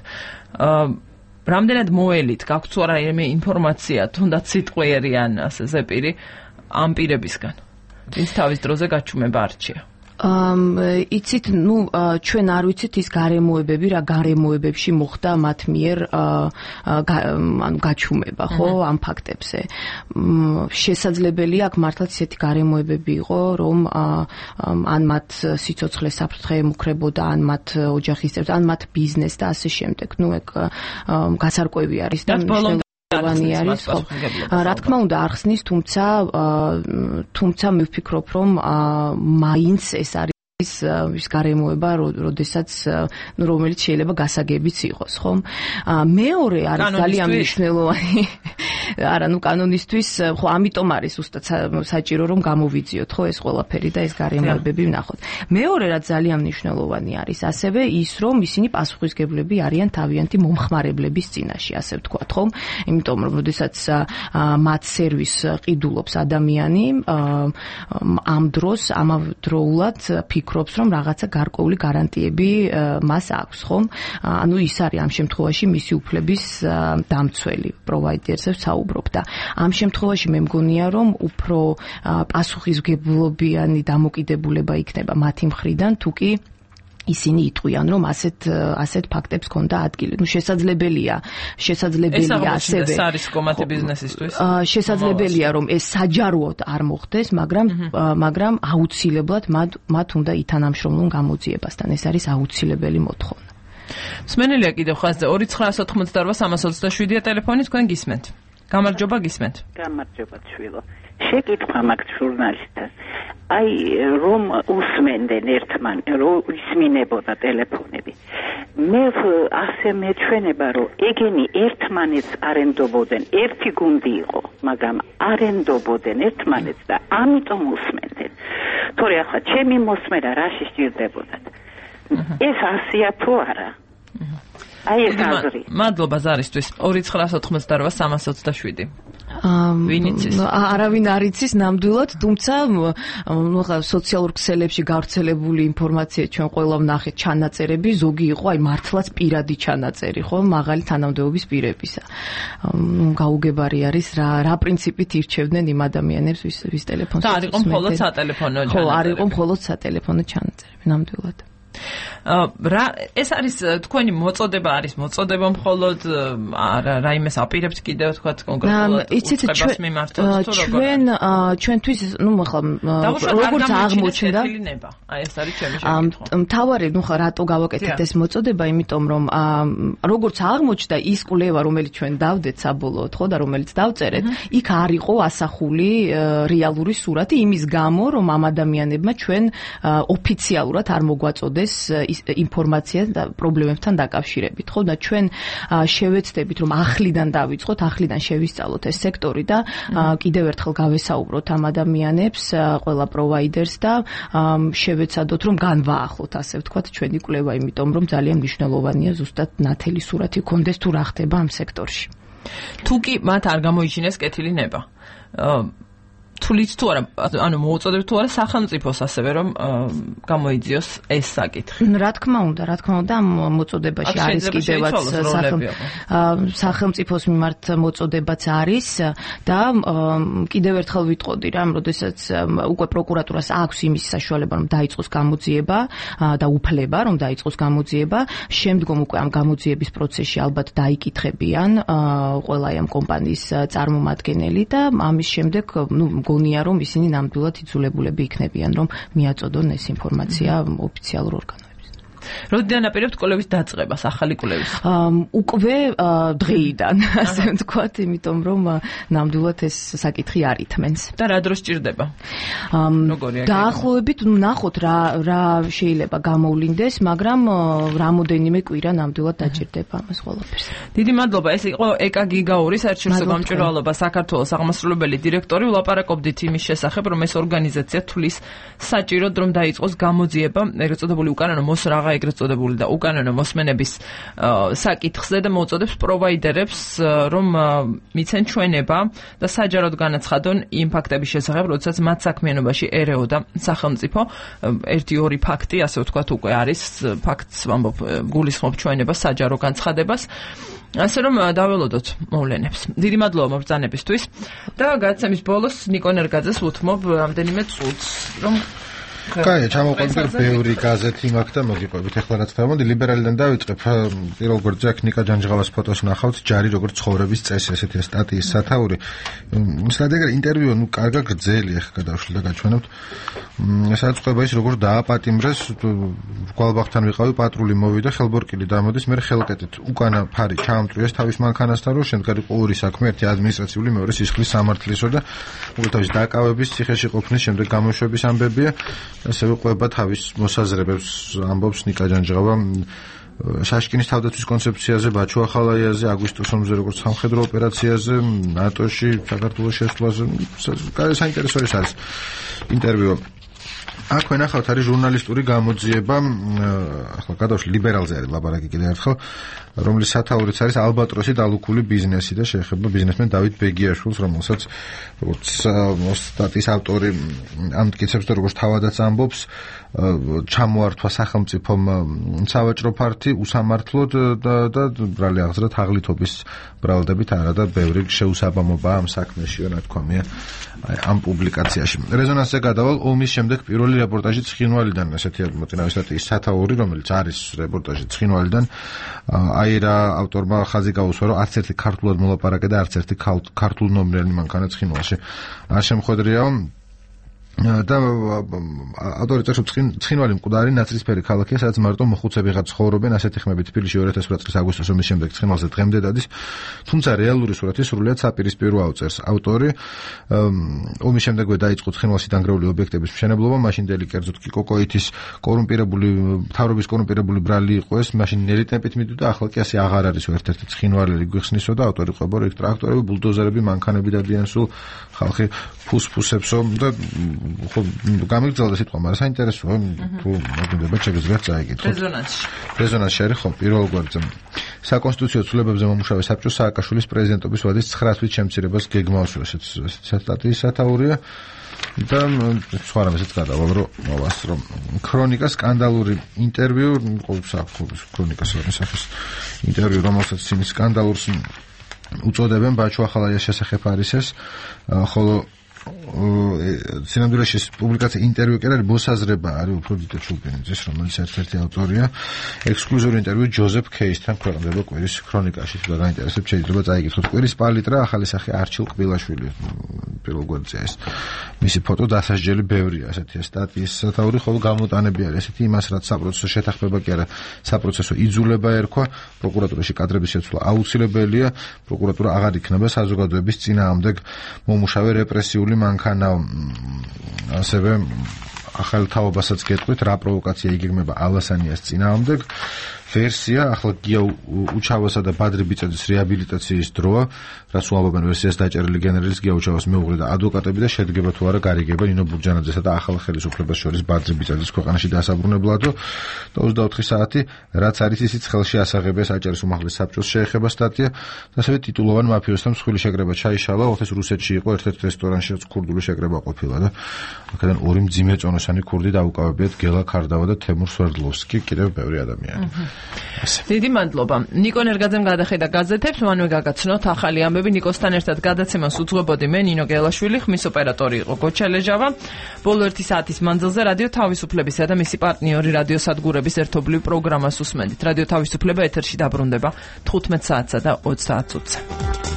Speaker 1: აა რამდენად მოელით, გაქვთ თუ არა ინფორმაცია, თუნდაც სიტყვიერი ან ასე ზეპირი ამ პირებისგან, ვინც თავის დროზე გაჩუმება არჩია?
Speaker 14: იცით, ნუ ჩვენ არ ვიცით ის გარემოებები, რა გარემოებებში მოხდა მათ მიერ ანუ გაჩუმება, ხო, ამ ფაქტებზე. შესაძლებელია აქ მართლაც ისეთი გარემოებები იყო, რომ ან მათ სიცოცხლე საფრთხე ემუქრებოდა, ან მათ ოჯახის წევრებს, ან მათ ბიზნეს და ასე შემდეგ. ნუ ეგ გასარკვევი არის და მნიშვნელოვანი არის, ხო. რა თქმა უნდა არ ხსნის, თუმცა თუმცა მე ვფიქრობ, რომ მაინც ეს არის ის გარემოება, როდესაც ნუ რომელიც შეიძლება გასაგებიც იყოს, ხო? მეორე არის ძალიან მნიშვნელოვანი. არა, ნუ კანონისთვის, ხო, ამიტომ არის უბრალოდ საჭირო რომ გამოვიძიოთ, ხო, ეს ყველაფერი და ეს გარემოებები ვნახოთ. მეორე რაც ძალიან მნიშვნელოვანი არის, ასევე ის, რომ ისინი პასუხისმგებლები არიან თავიანთი მომხმარებლების წინაშე, ასე ვთქვათ, ხო? იმიტომ რომ როდესაც მათ სერვისს ყიდულობს ადამიანი, ამ დროს ამავდროულად ფიქრობს, რომ რაღაცა გარკვეული გარანტიები მას აქვს, ხო? ანუ ის არის ამ შემთხვევაში მისი უფლების დამცველი პროვაიდერზე ვსაუბრობ და ამ შემთხვევაში მე მგონია, რომ უფრო პასუხისმგებლობიანი დამოკიდებულება იქნება მათი მხრიდან, თუ კი ისინი იტყვიან, რომ ასეთ ასეთ ფაქტებს ქონდა ადგილი. ნუ შესაძლებელია, შესაძლებელია ასევე.
Speaker 1: ეს არის კომათი ბიზნესისთვის.
Speaker 14: შესაძლებელია, რომ ეს საჯაროდ არ მოხდეს, მაგრამ მაგრამ აუცილებლად მათ მათ უნდა ითანამშრომლონ გამოძიებასთან. ეს არის აუცილებელი მოთხოვნა.
Speaker 1: სმენელია კიდევ ხაზზე ორი ცხრა ოცდაოთხმოცდაოთხ სამას ოცდაშვიდია ტელეფონი, თქვენ გისმენთ. გამარჯობა, გისმენთ.
Speaker 17: გამარჯობა, შვილო. შეკითხვა მაქვს ჟურნალისტას. აი რომ უსმენდნენ ერთმანეთს, რომ ისმინებოდა ტელეფონები. მე ასე მეჩვენება, რომ ეგენი ერთმანეთს არენდობოდნენ, ერთი გუნდი იყო, მაგრამ არენდობოდნენ ერთმანეთს და ამიტომ უსმენდნენ. თორე ახლა ჩემი მოსმენა რაში სჭირდებოდათ? ეს ასია თუ არა? აი ეს აზრი.
Speaker 1: მადლობა ზარისთვის. ორი ცხრაას ოთხმოცდარვა სამას ოცდაშვიდი. ვინ იცის?
Speaker 14: არავინ არ იცის ნამდვილად, თუმცა ნუ ხა სოციალურ ქსელებში გავრცელებული ინფორმაცია ჩვენ ყველა ვნახეთ ჩანაწერები, ზოგი იყო აი მართლაც პირადი ჩანაწერი, ხო, მაღალი თანამდებობის პირებისა. გაუგებარი არის რა რა პრინციპით ირჩევდნენ იმ ადამიანებს, ვის ვის ტელეფონს.
Speaker 1: და არ იყო მხოლოდ სატელეფონო ჩანაწერი.
Speaker 14: ხო, არ იყო მხოლოდ სატელეფონო ჩანაწერები, ნამდვილად.
Speaker 1: რა ეს არის თქვენი მოწოდება არის მოწოდება მხოლოდ არა რაიმეს აპირებთ კიდევ თქვა კონკრეტულად უწყებას მიმართოთ თუ როგორ
Speaker 14: ჩვენ ჩვენთვის ნუ ახლა როგორც აღმოჩნდა
Speaker 1: აი ეს არის ჩემი შეკითხვა
Speaker 14: მთავარი ნუ ხა რატო გავაკეთეთ ეს მოწოდება იმიტომ რომ როგორც აღმოჩნდა ის კვლევა რომელიც ჩვენ დავდეთ საბოლოოდ ხო და რომელიც დავწერეთ იქ არ იყო ასახული რეალური სურათი იმის გამო რომ ამ ადამიანებმა ჩვენ ოფიციალურად არ მოგვაწოდეს ინფორმაცია და პრობლემებთან დაკავშირებით, ხო და ჩვენ შევეცდებით რომ ახლიდან დავიწყოთ, ახლიდან შევისწავლოთ ეს სექტორი და კიდევ ერთხელ გავესაუბროთ ამ ადამიანებს, ყველა პროვაიდერს და შევეცადოთ რომ განვაახლოთ, ასე ვთქვათ, ჩვენი კვლევა, იმიტომ რომ ძალიან მნიშვნელოვანია ზუსტად ნათელი სურათი გქონდეს თუ რა ხდება ამ სექტორში.
Speaker 1: თუ კი მათ არ გამოიჩინეს კეთილი ნება. თulit თუ არა, ანუ მოუწოდებ თუ არა სახელმწიფოს ასევე რომ გამოიძიოს ეს საკითხი.
Speaker 14: რა თქმა უნდა, რა თქმა უნდა, ამ მოწოდებაში არის კიდევაც სახელმწიფოს მიმართ მოწოდებაც არის და კიდევ ერთხელ ვიტყოდი რა, როდესაც უკვე პროკურატურას აქვს იმის საშუალება რომ დაიწყოს გამოძიება და უფლება რომ დაიწყოს გამოძიება, შემდგომ უკვე ამ გამოძიების პროცესში ალბათ დაიკითხებიან ყველა ამ კომპანიის წარმომადგენელი და ამის შემდეგ ნუ გონია რომ ისინი ნამდვილად იძულებულები იქნებიან რომ მიაწოდონ ეს ინფორმაცია ოფიციალურ ორგანოებს.
Speaker 1: როდიდან აპირებთ კვლევის დაწყებას, ახალი კვლევის?
Speaker 14: უკვე დღეიდან, ასე ვთქვათ, იმიტომ რომ ნამდვილად ეს საკითხი არ ითმენს.
Speaker 1: და რა დროს სჭირდება?
Speaker 14: დაახლოებით ნახოთ რა რა შეიძლება გამოვლინდეს, მაგრამ რამოდენიმე კვირა ნამდვილად დაჭირდება ამას ყველაფერს.
Speaker 1: დიდი მადლობა. ეს იყო ეკა გიგაური საერთაშორისო გამჭვირვალობა საქართველოს აღმასრულებელი დირექტორი. ვლაპარაკობდით იმის შესახებ, რომ ეს ორგანიზაცია თulis საჭიროდ რომ დაიწყოს გამოძიება, ეგრეთ წოდებული უკანონო მოსრაღა ეგრეთ წოდებული და უკანონო მოსმენების საკითხზე და მოუწოდებს პროვაიდერებს რომ მიცენ ჩვენება და საჯაროდ განაცხადონ იმ ფაქტების შესახებ, როდესაც მათ საქმიანობაში ერეოდა სახელმწიფო. ერთი ორი ფაქტი, ასე ვთქვათ, უკვე არის ფაქტს ვამბობ, გულისხმობ ჩვენებას საჯარო განცხადებას. ასე რომ დაველოდოთ მოვლენებს. დიდი მადლობა მობრძანებისთვის და გადაცემის ბოლოს ნიკო ნერგაძეს ვუთმობ რამდენიმე წუთს, რომ
Speaker 5: კაი, ჩამოყვანდა ბევრი გაზეთი მაქვს და მოგიყვებით. ახლა რაც ხდება, მოდი ლიბერალიდან დავიწყებ. პირველ გვერდზე აქ ნიკა ჯანჯღავას ფოტოს ნახავთ, ჯარი როგორც ცხოვრების წესი, ესეთი სტატიის სათაური. სადაგერ ინტერვიუ, ნუ კარგა გრძელი, ახლა გადავშლი და გაჩვენებთ. სადაც ხდება ის, როგორც დააპატიმრეს, გვალბაღთან ვიყავი, პატრული მოვიდა, ხელბორკილი დამოდის, მე ხელკეთით უკანა ფარი ჩაამტრიეს თავის მანქანასთან, რომ შემდგარ იყო ორი საქმე, ერთი ადმინისტრაციული, მეორე სისხლის სამართლისო და უბრალოდ დაკავების, ციხეში ყოფნის შემდეგ გამოშვების ამბებია. ასე ვიყვება თავის მოსაზრებებს ამბობს ნიკა ჯანჯღავა შაშკინის თავდაცვის კონცეფციაზე, ბაჩუ ახალაიაზე, აგვისტოს ომზე როგორც სამხედრო ოპერაციაზე, ნატოში, საქართველოს შესვლაზე. საინტერესო არის ინტერვიუ. აქვე ნახავთ არის ჟურნალისტური გამოძიება, ახლა გადავშლი ლიბერალზე არის ლაბარაკი კიდევ ერთხელ, რომლის სათაურიც არის ალბატროსი დალუქული ბიზნესი და შეეხება ბიზნესმენ დავით ბეგიაშვილს, რომელსაც როგორც სტატიის ავტორი ამტკიცებს და როგორც თავადაც ამბობს, ჩამოართვა სახელმწიფომ სავაჭრო ფართი უსამართლოდ და და ბრალი აღზრდა თაღლითობის ბრალდებით არა და ბევრი შეუსაბამობა ამ საქმეში ნათქვამია ამ პუბლიკაციაში. რეზონანსზე გადავალ ომის შემდეგ პირველი რეპორტაჟი ცხინვალიდან, ესეთი მოწინავე სტატიის სათაური, რომელიც არის რეპორტაჟი ცხინვალიდან, აი რა ავტორმა ხაზი გაუსვა, რომ არც ერთი ქართულად მოლაპარაკე და არც ერთი ქართულ ნომრიანი მანქანა ცხინვალში არ შემხვედრია. და ავტორი წერს ცხინვალი მკვდარი ნაცრისფერი ქალაქია, სადაც მარტო მოხუცები ღაც ცხოვრობენ, ასეთი ხმები თბილისში ორი ათას ოთხ წლის აგვისტოს ომის შემდეგ ცხინვალზე დღემდე დადის, თუმცა რეალური სურათი სრულიად საპირისპირო ავწერს ავტორი. ომის შემდეგვე დაიწყო ცხინვალში დანგრეული ობიექტების მშენებლობა, მაშინდელი კერძოდ კი კოკოითის კორუმპირებული მთავრობის კორუმპირებული ბრალი იყო ეს, მაშინ ნელი ტემპით მიდოდა, ახლა კი ასე აღარ არის ერთ-ერთი ცხინვალელი გვიხსნისო და ავტორი ყვება, რომ იქ ტრაქტორები, ბულდოზერები, მანქანები დადიან, სულ ხალხი ფუსფუსებსო და ხო გამიგრძელდა სიტყვა, მაგრამ საინტერესოა თუ მოგინდება შეგიძლიათ წაიგეთ.
Speaker 1: რეზონანსში.
Speaker 5: რეზონანსში არის ხო პირველ გვერდზე. საკონსტიტუციო ცვლილებებზე მომუშავე საბჭოს სააკაშვილის პრეზიდენტობის ვადის ცხრა თვით შემცირებას გეგმავს, ესეც სტატიის სათაურია. და სხვა რამესაც გადავალ რომ მოვას რომ ქრონიკა სკანდალური ინტერვიუ, ქრონიკას რამესახის ინტერვიუ, რომელსაც ისინი სკანდალურს უწოდებენ, ბაჩო ახალაიას შესახებ არის ეს, ხოლო სინამდვილეში პუბლიკაცია ინტერვიუ კი არის მოსაზრება არის უფრო დიდ ჩუბინიძის, რომელიც ერთ-ერთი ავტორია, ექსკლუზიური ინტერვიუ ჯოზეფ კეისთან ქვეყნდება კვირის ქრონიკაში, თუ გაინტერესებთ შეიძლება წაიკითხოთ. კვირის პალიტრა ახალი სახე არჩილ ყბილაშვილი პირველ გვერდზე ეს მისი ფოტო დასასჯელი ბევრია, ასეთი სტატიის სათაური, ხოლო გამოტანები არის ესეთი იმას, რაც საპროცესო შეთანხმება კი არა, საპროცესო იძულება ერქვა, პროკურატურაში კადრების შეცვლა აუცილებელია, პროკურატურა აღარ იქნება საზოგადოების წინააღმდეგ მომუშავე რეპრესიული მანქანა, ასევე ახალ თაობასაც გეტყვით, რა პროვოკაცია იგეგმება ალასანიას წინააღმდეგ. ვერსია, ახლა გია უჩავასა და ბადრი ბიწაძის რეაბილიტაციის დროა, რაც უამბობენ ვერსიას დაჭერილი გენერლის გია უჩავას მეუღლე და ადვოკატები და შედგება თუ არა გარიგება ნინო ბურჯანაძესა და ახალ ხელისუფლებას შორის ბადრი ბიწაძის ქვეყანაში დასაბრუნებლადო და ოცდაოთხი საათი, რაც არის ისიც ხელში ასაღებია საჭერის უმაღლეს საბჭოს შეეხება სტატია, ასევე ტიტულოვან მაფიოსთან მსხვილი შეკრება ჩაიშალა, ოთხის რუსეთში იყო ერთ-ერთ რესტორანში ქურდული შეკრება ყოფილა და აქედან ორი მძიმე წონოსანი ქურდი დაუკავებიათ გელა ქარდავა და თემურ სვერდლოვსკი, კიდევ ბევრი ადამიანი.
Speaker 1: დიდი მადლობა. ნიკო ნერგაძემ გადახედა გაზეთებს, მანვე გაგაცნოთ ახალი ამბები. ნიკოსთან ერთად გადაცემას უძღვებოდი მე, ნინო გელაშვილი, ხმის ოპერატორი იყო გოჩა ლეჟავა. ბოლო ერთი საათის მანძილზე რადიო თავისუფლებისა და მისი პარტნიორი რადიო სადგურების ერთობლივ პროგრამას უსმენთ. რადიო თავისუფლება ეთერში დაბრუნდება თხუთმეტ საათსა და ოცდაათ წუთზე.